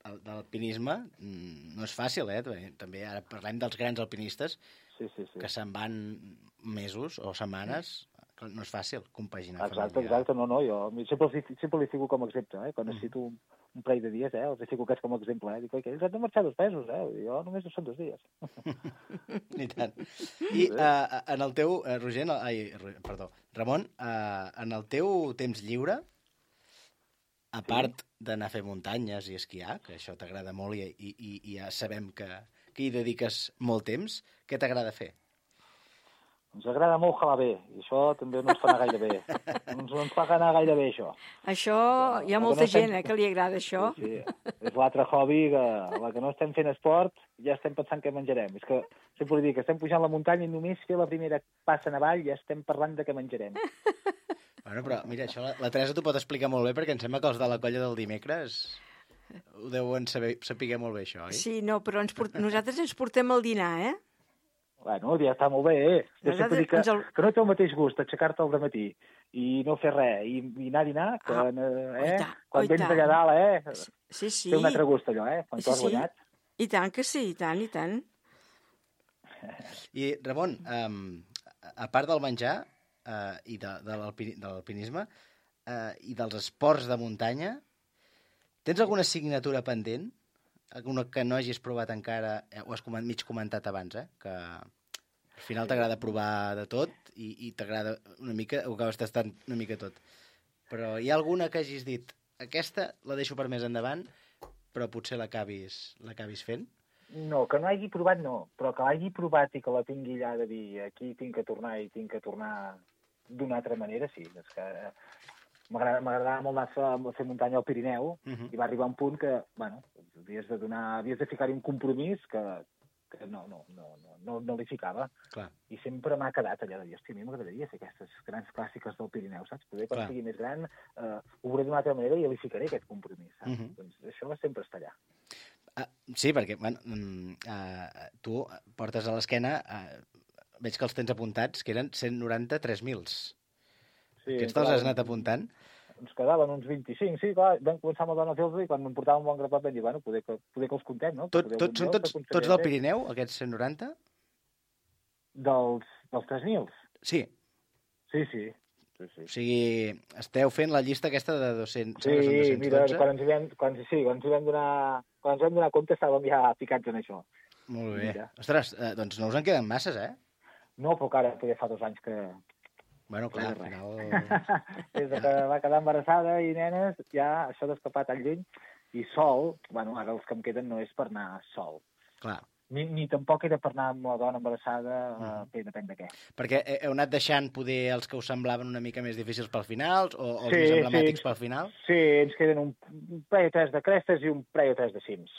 de l'alpinisme no és fàcil, També ara parlem dels grans alpinistes que se'n van mesos o setmanes, no és fàcil compaginar. Exacte, no, jo sempre li fico com a exemple, quan necessito un parell de dies, els fico aquests com a exemple, dic, ells han de marxar 2 mesos, jo només són 2 dies. I tant. I en el teu, Ramon, en el teu temps lliure, a part d'anar a fer muntanyes i esquiar, que això t'agrada molt i ja sabem que hi dediques molt temps, què t'agrada fer? Ens agrada molt jalar bé, i això també no ens fa anar gaire bé. No ens fa anar gaire bé, això. Això, hi ha molta gent que li agrada això. Sí. És l'altre hobby que la que no estem fent esport ja estem pensant què menjarem. És que sempre li dic que estem pujant la muntanya i només fer la primera passa en avall ja estem parlant de què menjarem. Bueno, però mira, això la Teresa t'ho pot explicar molt bé, perquè em sembla que els de la colla del dimecres ho deuen saber molt bé, això, oi? Sí, no, però nosaltres ens portem el dinar, Bueno, ja està molt bé, Deixa'm dir que no té el mateix gust aixecar-te al dematí i no fer res, i anar a dinar, quan vens allà dalt, Sí. Té un altre gust, allò, quan tu has guanyat. I tant que sí, i tant, i tant. I, Ramon, a part del menjar i de l'alpinisme i dels esports de muntanya, tens alguna assignatura pendent? Alguna que no hagis provat encara? Ho has mig comentat abans, que al final t'agrada provar de tot i t'agrada una mica, ho acabes tastant una mica tot. Però hi ha alguna que hagis dit, aquesta la deixo per més endavant, però potser l'acabis fent? No, que no hagi provat no, però que l'hagi provat i que la tingui allà de dir aquí tinc que tornar i tinc que tornar d'una altra manera, sí. És que m'agradava molt anar a fer muntanya al Pirineu i va arribar un punt que, bueno, havies de ficar-hi un compromís que no li ficava. Clar. I sempre m'ha quedat allà de dir, hòstia, a mi m'agradaria fer aquestes grans clàssiques del Pirineu, saps? Poder, quan sigui més gran, ho veuré d'una altra manera i li ficaré aquest compromís, saps? Doncs això va sempre estar allà. Sí, perquè tu portes a l'esquena, veig que els tens apuntats, que eren 190 3.000. Sí, aquests te'ls has anat apuntant? Ens quedaven uns 25, sí, clar, vam començar amb el Dona i quan em portava un bon grapat vam dir, bueno, poder que els contem, no? Són tots del Pirineu, aquests 190? Dels 3.000? Sí. Sí. O sigui, esteu fent la llista aquesta de 200. Sí, mira, quan ens vam donar compte estàvem ja ficats en això. Molt bé. Ostres, doncs no us en queden masses, No, però ara poder fa 2 anys que... Bueno, clar, al final... Des que va quedar embarassada i nenes, ja això d'escapar tan lluny. I sol, bueno, ara els que em queden no és per anar sol. Clar. Ni tampoc era per anar amb la dona embarassada, depèn de què. Perquè heu anat deixant poder els que us semblaven una mica més difícils pel final, o els més emblemàtics pel final? Sí, ens queden un parell o 3 de crestes i un parell o 3 de cims.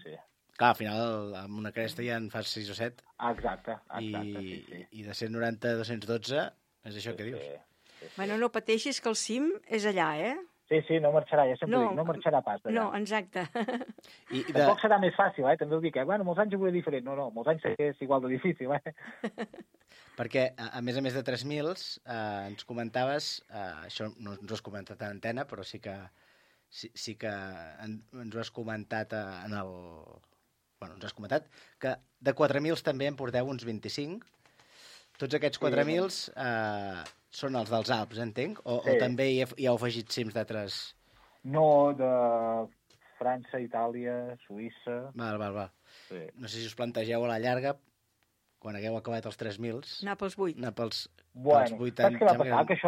Sí. Clar, al final, amb una cresta ja en fas 6 o 7. Exacte, sí. I de 190 a 212, és això que dius. Sí. Bueno, no pateixis que el cim és allà, Sí, no marxarà, ja sempre dic, no marxarà pas d'allà. No, exacte. Tampoc serà més fàcil, també ho dic, molts anys ho veuré diferent. No, molts anys és igual de difícil, Perquè, a més de 3.000, ens comentaves, això no ens ho has comentat en antena, però sí que ens ho has comentat Bueno, ens has comentat que de 4.000 també en porteu uns 25. Tots aquests 4.000 són els dels Alps, entenc? O també hi heu afegit cims d'altres... No, de França, Itàlia, Suïssa... Val. Sí. No sé si us plantegeu a la llarga, quan hagueu acabat els 3.000... Anar pels 8. Anar pels 8 anys. Saps què va passar? Que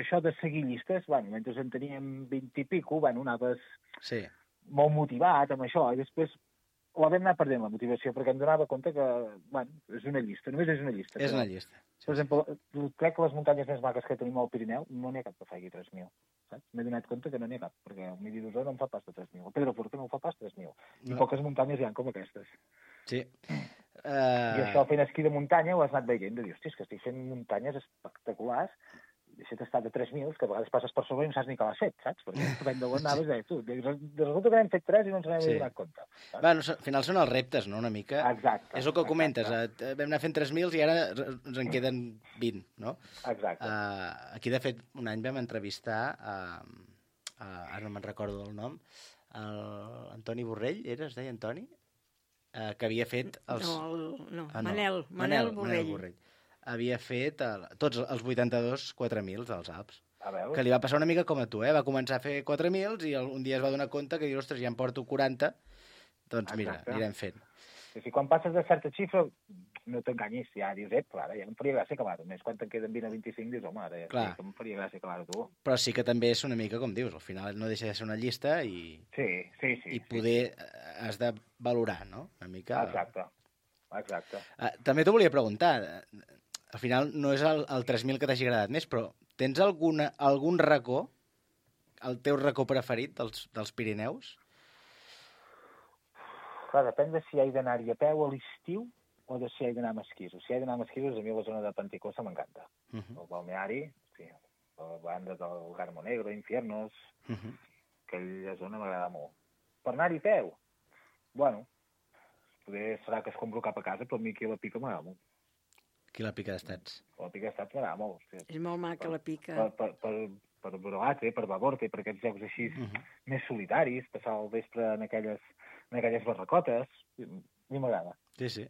això de seguir llistes, mentre en teníem 20 i pico, anaves molt motivat amb això, i després la vam anar perdent, la motivació, perquè em donava compte que, és una llista, només és una llista. És una llista. Per exemple, crec que les muntanyes més maques que tenim al Pirineu no n'hi ha cap que faci 3.000, saps? M'he donat compte que no n'hi ha cap, perquè el Midi d'Osó no em fa pas de 3.000, el Pedraforca no em fa pas 3.000, i poques muntanyes hi ha com aquestes. Sí. I això fent esquí de muntanya ho has anat veient, de dir, hòstia, és que estic fent muntanyes espectaculars, deixa't estar de 3.000, que a vegades passes per sobre i no saps ni que l'has fet, saps? Perquè depèn d'on anaves, resulta que n'hem fet 3 i no ens n'hem donat compte. Bueno, al final són els reptes, no?, una mica. Exacte. És el que comentes, vam anar fent 3.000 i ara ens en queden 20, no? Exacte. Aquí, de fet, un any vam entrevistar, ara no me'n recordo del nom, l'Antoni Borrell, es deia Antoni? Que havia fet els... No, Manel Borrell. Havia fet tots els 82 4.000 dels Alps. A veure. Que li va passar una mica com a tu, Va començar a fer 4.000 i un dia es va donar compte que diu, ostres, ja em porto 40, doncs mira, anirem fent. Si quan passes de certa xifra, no t'enganyis, ja dius, però ara ja em faria gràcia acabar-ho. Més quan te'n queden 20 a 25, dius, home, ara ja em faria gràcia acabar-ho tu. Però sí que també és una mica com dius, al final no deixa de ser una llista i... Sí. I poder has de valorar, no?, una mica... Exacte. També t'ho volia preguntar, al final no és el 3.000 que t'hagi agradat més, però tens algun racó, el teu racó preferit dels Pirineus? Clar, depèn de si hi ha d'anar-hi a peu a l'estiu o de si hi ha d'anar amb esquissos. Si hi ha d'anar amb esquissos, a mi la zona de Panticosa m'encanta. El balneari, la banda del Garmo Negro, Infiernos, aquella zona m'agrada molt. Per anar-hi a peu, bueno, poder serà que es compro cap a casa, però a mi aquí a la pica m'agrada molt. Aquí la pica d'estats. La pica d'estats m'agrada molt. Hòstia. És molt maca, la pica. Per Broate, per Baborte, per aquests jocs així més solitaris, passar el vespre en aquelles barracotes, a mi m'agrada. Sí.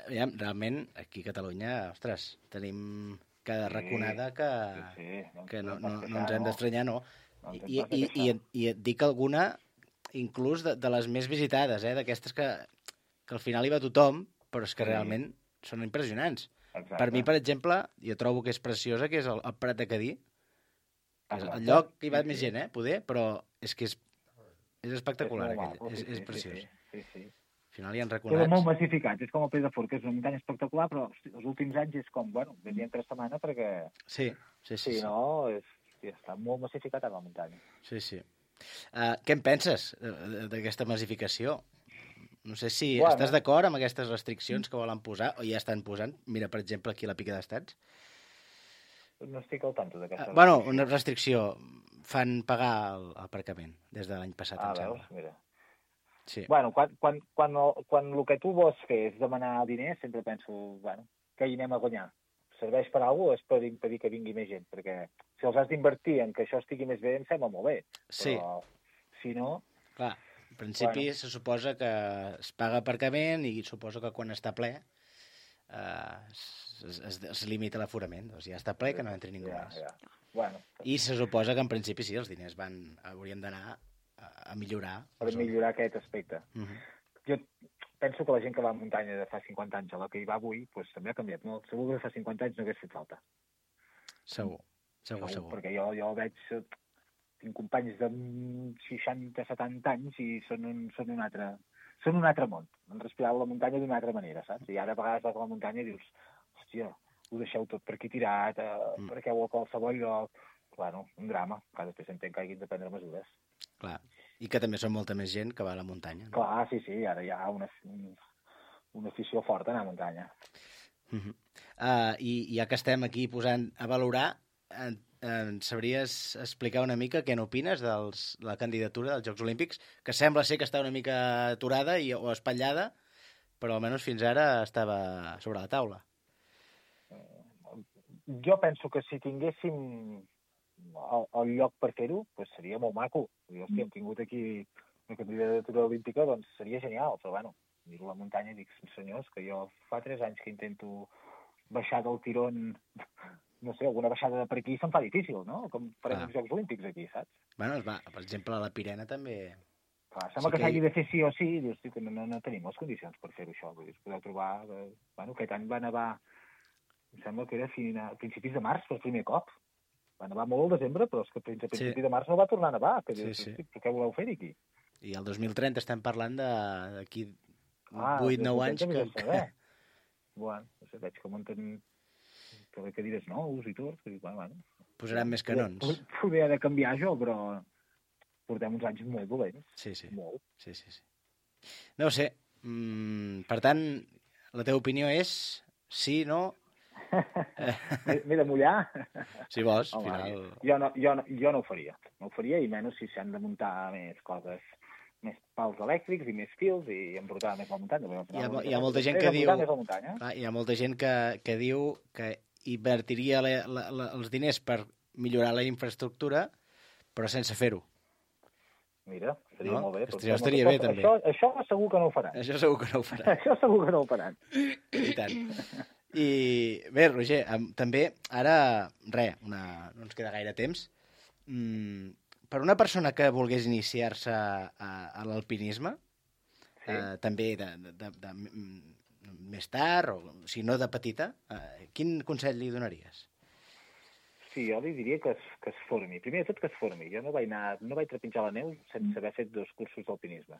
Aviam, realment, aquí a Catalunya, ostres, tenim cada raconada que no ens hem d'estranyar, no. I et dic alguna, inclús de les més visitades, d'aquestes que al final hi va tothom, però és que realment són impressionants. Exacte. Per mi, per exemple, jo trobo que és preciosa, que és el Prat de Cadí. És el lloc que hi va més gent, poder, però és que és espectacular, és preciós. Sí. Al final hi ha Queda raconats. molt massificat, és com el Peix de Fort, que és una muntanya espectacular, però hosti, els últims anys és com, bueno, venien 3 setmanes perquè... Sí. Si no, està molt massificat a la muntanya. Sí. Què en penses d'aquesta massificació? No sé si estàs d'acord amb aquestes restriccions que volen posar o ja estan posant. Mira, per exemple, aquí a la Pica d'Estats. No estic al tanto d'aquesta Bueno, una restricció. Fan pagar l'aparcament des de l'any passat, em sembla. Veus? Mira. Sí. Bueno, quan el que tu vols fer és demanar diners, sempre penso, bueno, que hi anem a guanyar. Serveix per alguna cosa, és per impedir que vingui més gent, perquè si els has d'invertir en que això estigui més bé, em sembla molt bé. Sí. Però, si no... Clar, en principi se suposa que es paga aparcament i suposo que quan està ple es limita l'aforament. Doncs ja està ple, que no entri ningú més. Bueno. I se suposa que en principi sí, els diners haurien d'anar a millorar. Per millorar aquest aspecte. Jo penso que la gent que va a muntanya de fa 50 anys a la que hi va avui, doncs també ha canviat molt. Segur que fa 50 anys no hagués fet falta. Segur. Perquè jo veig... Tinc companys de 60-70 anys i són un altre món. Han respirat la muntanya d'una altra manera, saps? I ara a vegades vas a la muntanya i dius, hòstia, ho deixeu tot per aquí tirat, perquè heu a qualsevol lloc... Bueno, un drama, que després entenc que hagin de prendre mesures. Clar, i que també són molta més gent que va a la muntanya. No? Clar, sí, ara hi ha una afició forta a anar a muntanya. I ja que estem aquí posant a valorar, ens sabries explicar una mica què n'opines de la candidatura dels Jocs Olímpics, que sembla ser que està una mica aturada o espatllada, però almenys fins ara estava sobre la taula. Jo penso que si tinguéssim el lloc per fer-ho, doncs seria molt maco. Hòstia, hem tingut aquí una candidatura olímpica, doncs seria genial, però bueno, miro la muntanya i dic, senyors, que jo fa 3 anys que intento baixar del tirón, no sé, alguna baixada de per aquí se'm fa difícil, no? Com farem els Jocs Olímpics aquí, saps? Bueno, per exemple, a la Pirena també... Clar, sembla que s'hagi de fer sí o sí, i dius, que no tenim les condicions per fer-ho això. Vull dir, podeu trobar... Bueno, aquest any va nevar, em sembla que era a principis de març, per primer cop. Va nevar molt al desembre, però és que fins a principi de març no va tornar a nevar. Que dius, però què voleu fer aquí? I el 2030 estem parlant d'aquí 8-9 anys que... Bueno, no sé, veig que munten cadires nous i tot. Bueno. Posaran més canons. Poder ha de canviar això, però portem uns anys molt dolents. Sí. Molt. Sí. No ho sé. Per tant, la teva opinió és sí, no... M'he de mullar? Si vols, al final... Jo no ho faria. No ho faria, i menys si s'han de muntar més coses, més pals elèctrics i més fils i emportar més la muntanya. Hi ha molta gent que diu... Hi ha molta gent que diu que invertiria els diners per millorar la infraestructura, però sense fer-ho. Mira, seria molt bé. Això estaria bé, també. Això segur que no ho faran. Això segur que no ho faran. Això segur que no ho faran. I tant. I bé, Roger, també ara, no ens queda gaire temps. Per una persona que volgués iniciar-se a l'alpinisme, també de més tard, o si no de petita, quin consell li donaries? Sí, jo li diria que es formi. Primer de tot, que es formi. Jo no vaig trepitjar la neu sense haver fet 2 cursos d'alpinisme.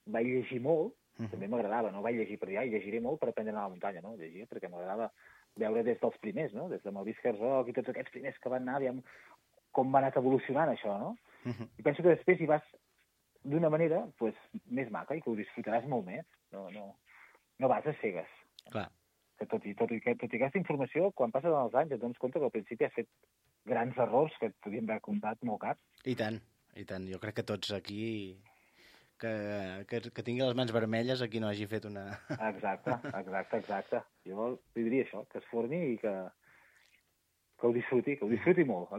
Vaig llegir molt, també m'agradava, no vaig llegir per dir, llegiré molt per aprendre a anar a la muntanya, no? Llegia perquè m'agradava veure des dels primers, no? Des de Maurice Herzog i tots aquests primers que van anar, aviam com va anat evolucionant això, no? I penso que després hi vas d'una manera més maca i que ho disfrutaràs molt més. No vas a cegues. Clar. Que tot i aquesta informació, quan passen els anys et dones compte que al principi has fet grans errors que et podien haver comptat molt cars. I tant. Jo crec que tots aquí que tingui les mans vermelles a qui no hagi fet una... Exacte. Jo li diria això, que es forni i que ho disfruti molt,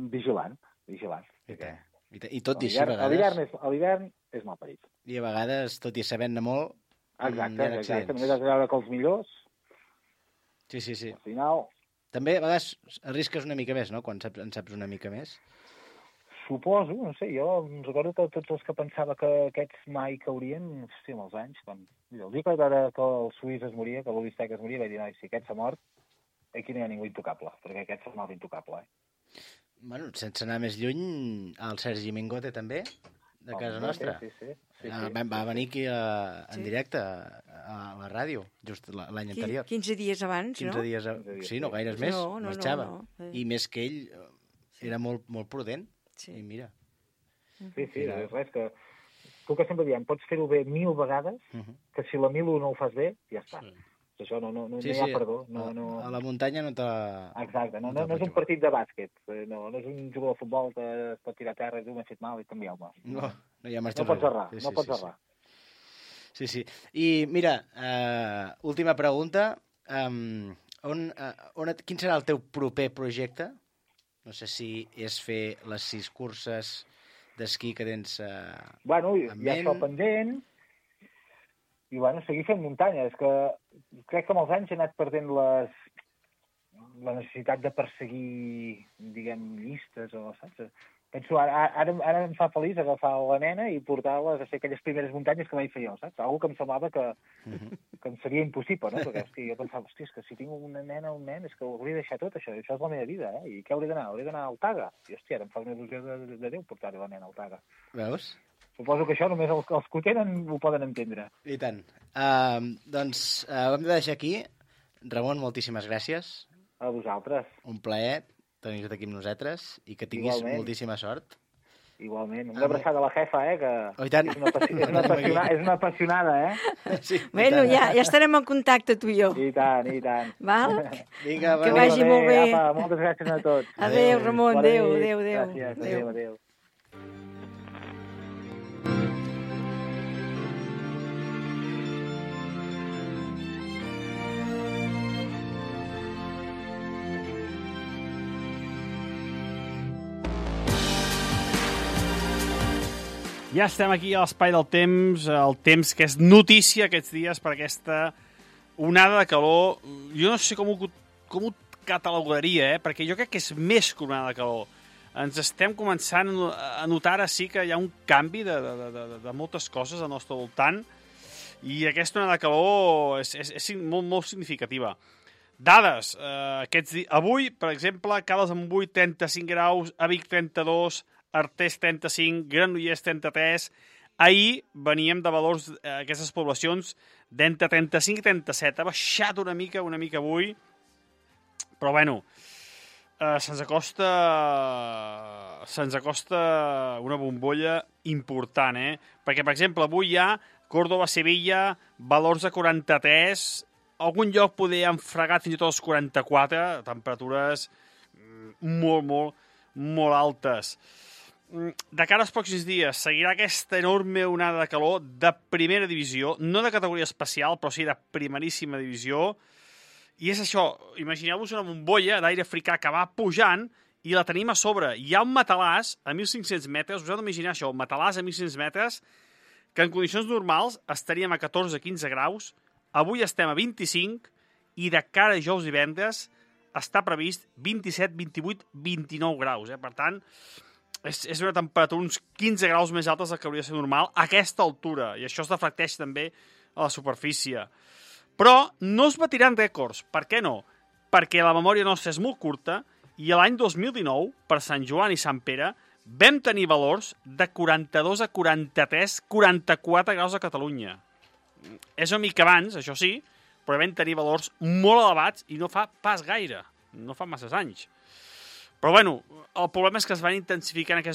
vigilant. I tot i així, a vegades... A l'hivern és mal parit. I a vegades, tot i sabent-ne molt, Exacte. Només has de veure que els millors... Sí. Al final... També, a vegades, arrisques una mica més, no?, quan en saps una mica més. Suposo, no sé, jo em recordo que tots els que pensava que aquests mai caurien, hòstia, amb els anys, quan... El dia que vaig veure que el Suís es moria, que l'Olistec es moria, vaig dir, noi, si aquest s'ha mort, aquí no hi ha ningú intocable, perquè aquest s'ha mort intocable, Bueno, sense anar més lluny, el Sergi Mingote també, de casa nostra. Sí. Va venir aquí en directe a la ràdio, just l'any anterior. 15 dies abans, 15 dies, sí, no gaires més, marxava. No. I més que ell era molt prudent, i mira. Sí, res, que tu que sempre diem, pots fer-ho bé 1000 vegades, que si la 1001 no ho fas bé, ja està. Això no hi ha perdó. A la muntanya no te la... Exacte, no és un partit de bàsquet, no és un jugador de futbol que es pot tirar a terra i diu, m'he fet mal i canviar-me. No hi ha marxa. No pots errar. Sí. I mira, última pregunta, quin serà el teu proper projecte? No sé si és fer les 6 curses d'esquí que tens Bueno, hi ha això pendent, i seguir fent muntanya. És que crec que amb els anys he anat perdent la necessitat de perseguir, diguem, llistes o, saps? Penso, ara em fa feliç agafar la nena i portar-les a fer aquelles primeres muntanyes que mai fer jo, saps? Algo que em semblava que em seria impossible, no? Perquè, hòstia, jo pensava, hòstia, és que si tinc una nena o un nen és que ho hauria de deixar tot, això és la meva vida, I què hauré d'anar? Hauré d'anar al Taga? I, hòstia, ara em fa una il·lusió de Déu portar-hi la nena al Taga. Veus? Suposo que això només els que ho tenen ho poden entendre. I tant. Doncs ho hem de deixar aquí. Ramon, moltíssimes gràcies. A vosaltres. Un plaer tenir-te aquí amb nosaltres i que tinguis moltíssima sort. Igualment. Una abraçada a la jefa, que és una apassionada, Sí, bueno, ja estarem en contacte, tu i jo. I tant. Val? Vinga, que vagi molt bé. Apa, moltes gràcies a tots. Adéu, Ramon. Adéu. Gràcies. Adéu. Ja estem aquí a l'espai del temps, el temps que és notícia aquests dies per aquesta onada de calor. Jo no sé com ho catalogaria, perquè jo crec que és més que una onada de calor. Ens estem començant a notar ara sí que hi ha un canvi de moltes coses al nostre voltant i aquesta onada de calor és molt significativa. Dades, avui, per exemple, Caldes de Montbui 35 graus, a Vic 32, Artés 35, Granollers 33. Ahir veníem de valors aquestes poblacions d'entre 35 i 37. Ha baixat una mica avui, però bueno, se'ns acosta una bombolla important, Perquè, per exemple, avui hi ha Córdoba-Sevilla, valors de 43, algun lloc poder han fregat fins i tot els 44, temperatures molt altes. De cara als pròxims dies, seguirà aquesta enorme onada de calor de primera divisió, no de categoria especial, però sí de primeríssima divisió. I és això, imagineu-vos una bombolla d'aire africà que va pujant i la tenim a sobre. Hi ha un matalàs a 1.500 metres, us heu d'imaginar això, un matalàs a 1.500 metres, que en condicions normals estaríem a 14-15 graus, avui estem a 25 i de cara a dijous i divendres està previst 27, 28, 29 graus. Per tant, és una temperatura uns 15 graus més altes del que hauria de ser normal a aquesta altura, i això es reflecteix també a la superfície. Però no es batiran rècords. Per què no? Perquè la memòria nostra és molt curta i l'any 2019, per Sant Joan i Sant Pere, vam tenir valors de 42 a 43, 44 graus a Catalunya. És una mica abans, això sí, però vam tenir valors molt elevats i no fa pas gaire, no fa masses anys. Però bueno, el problema és que es van intensificant aquestes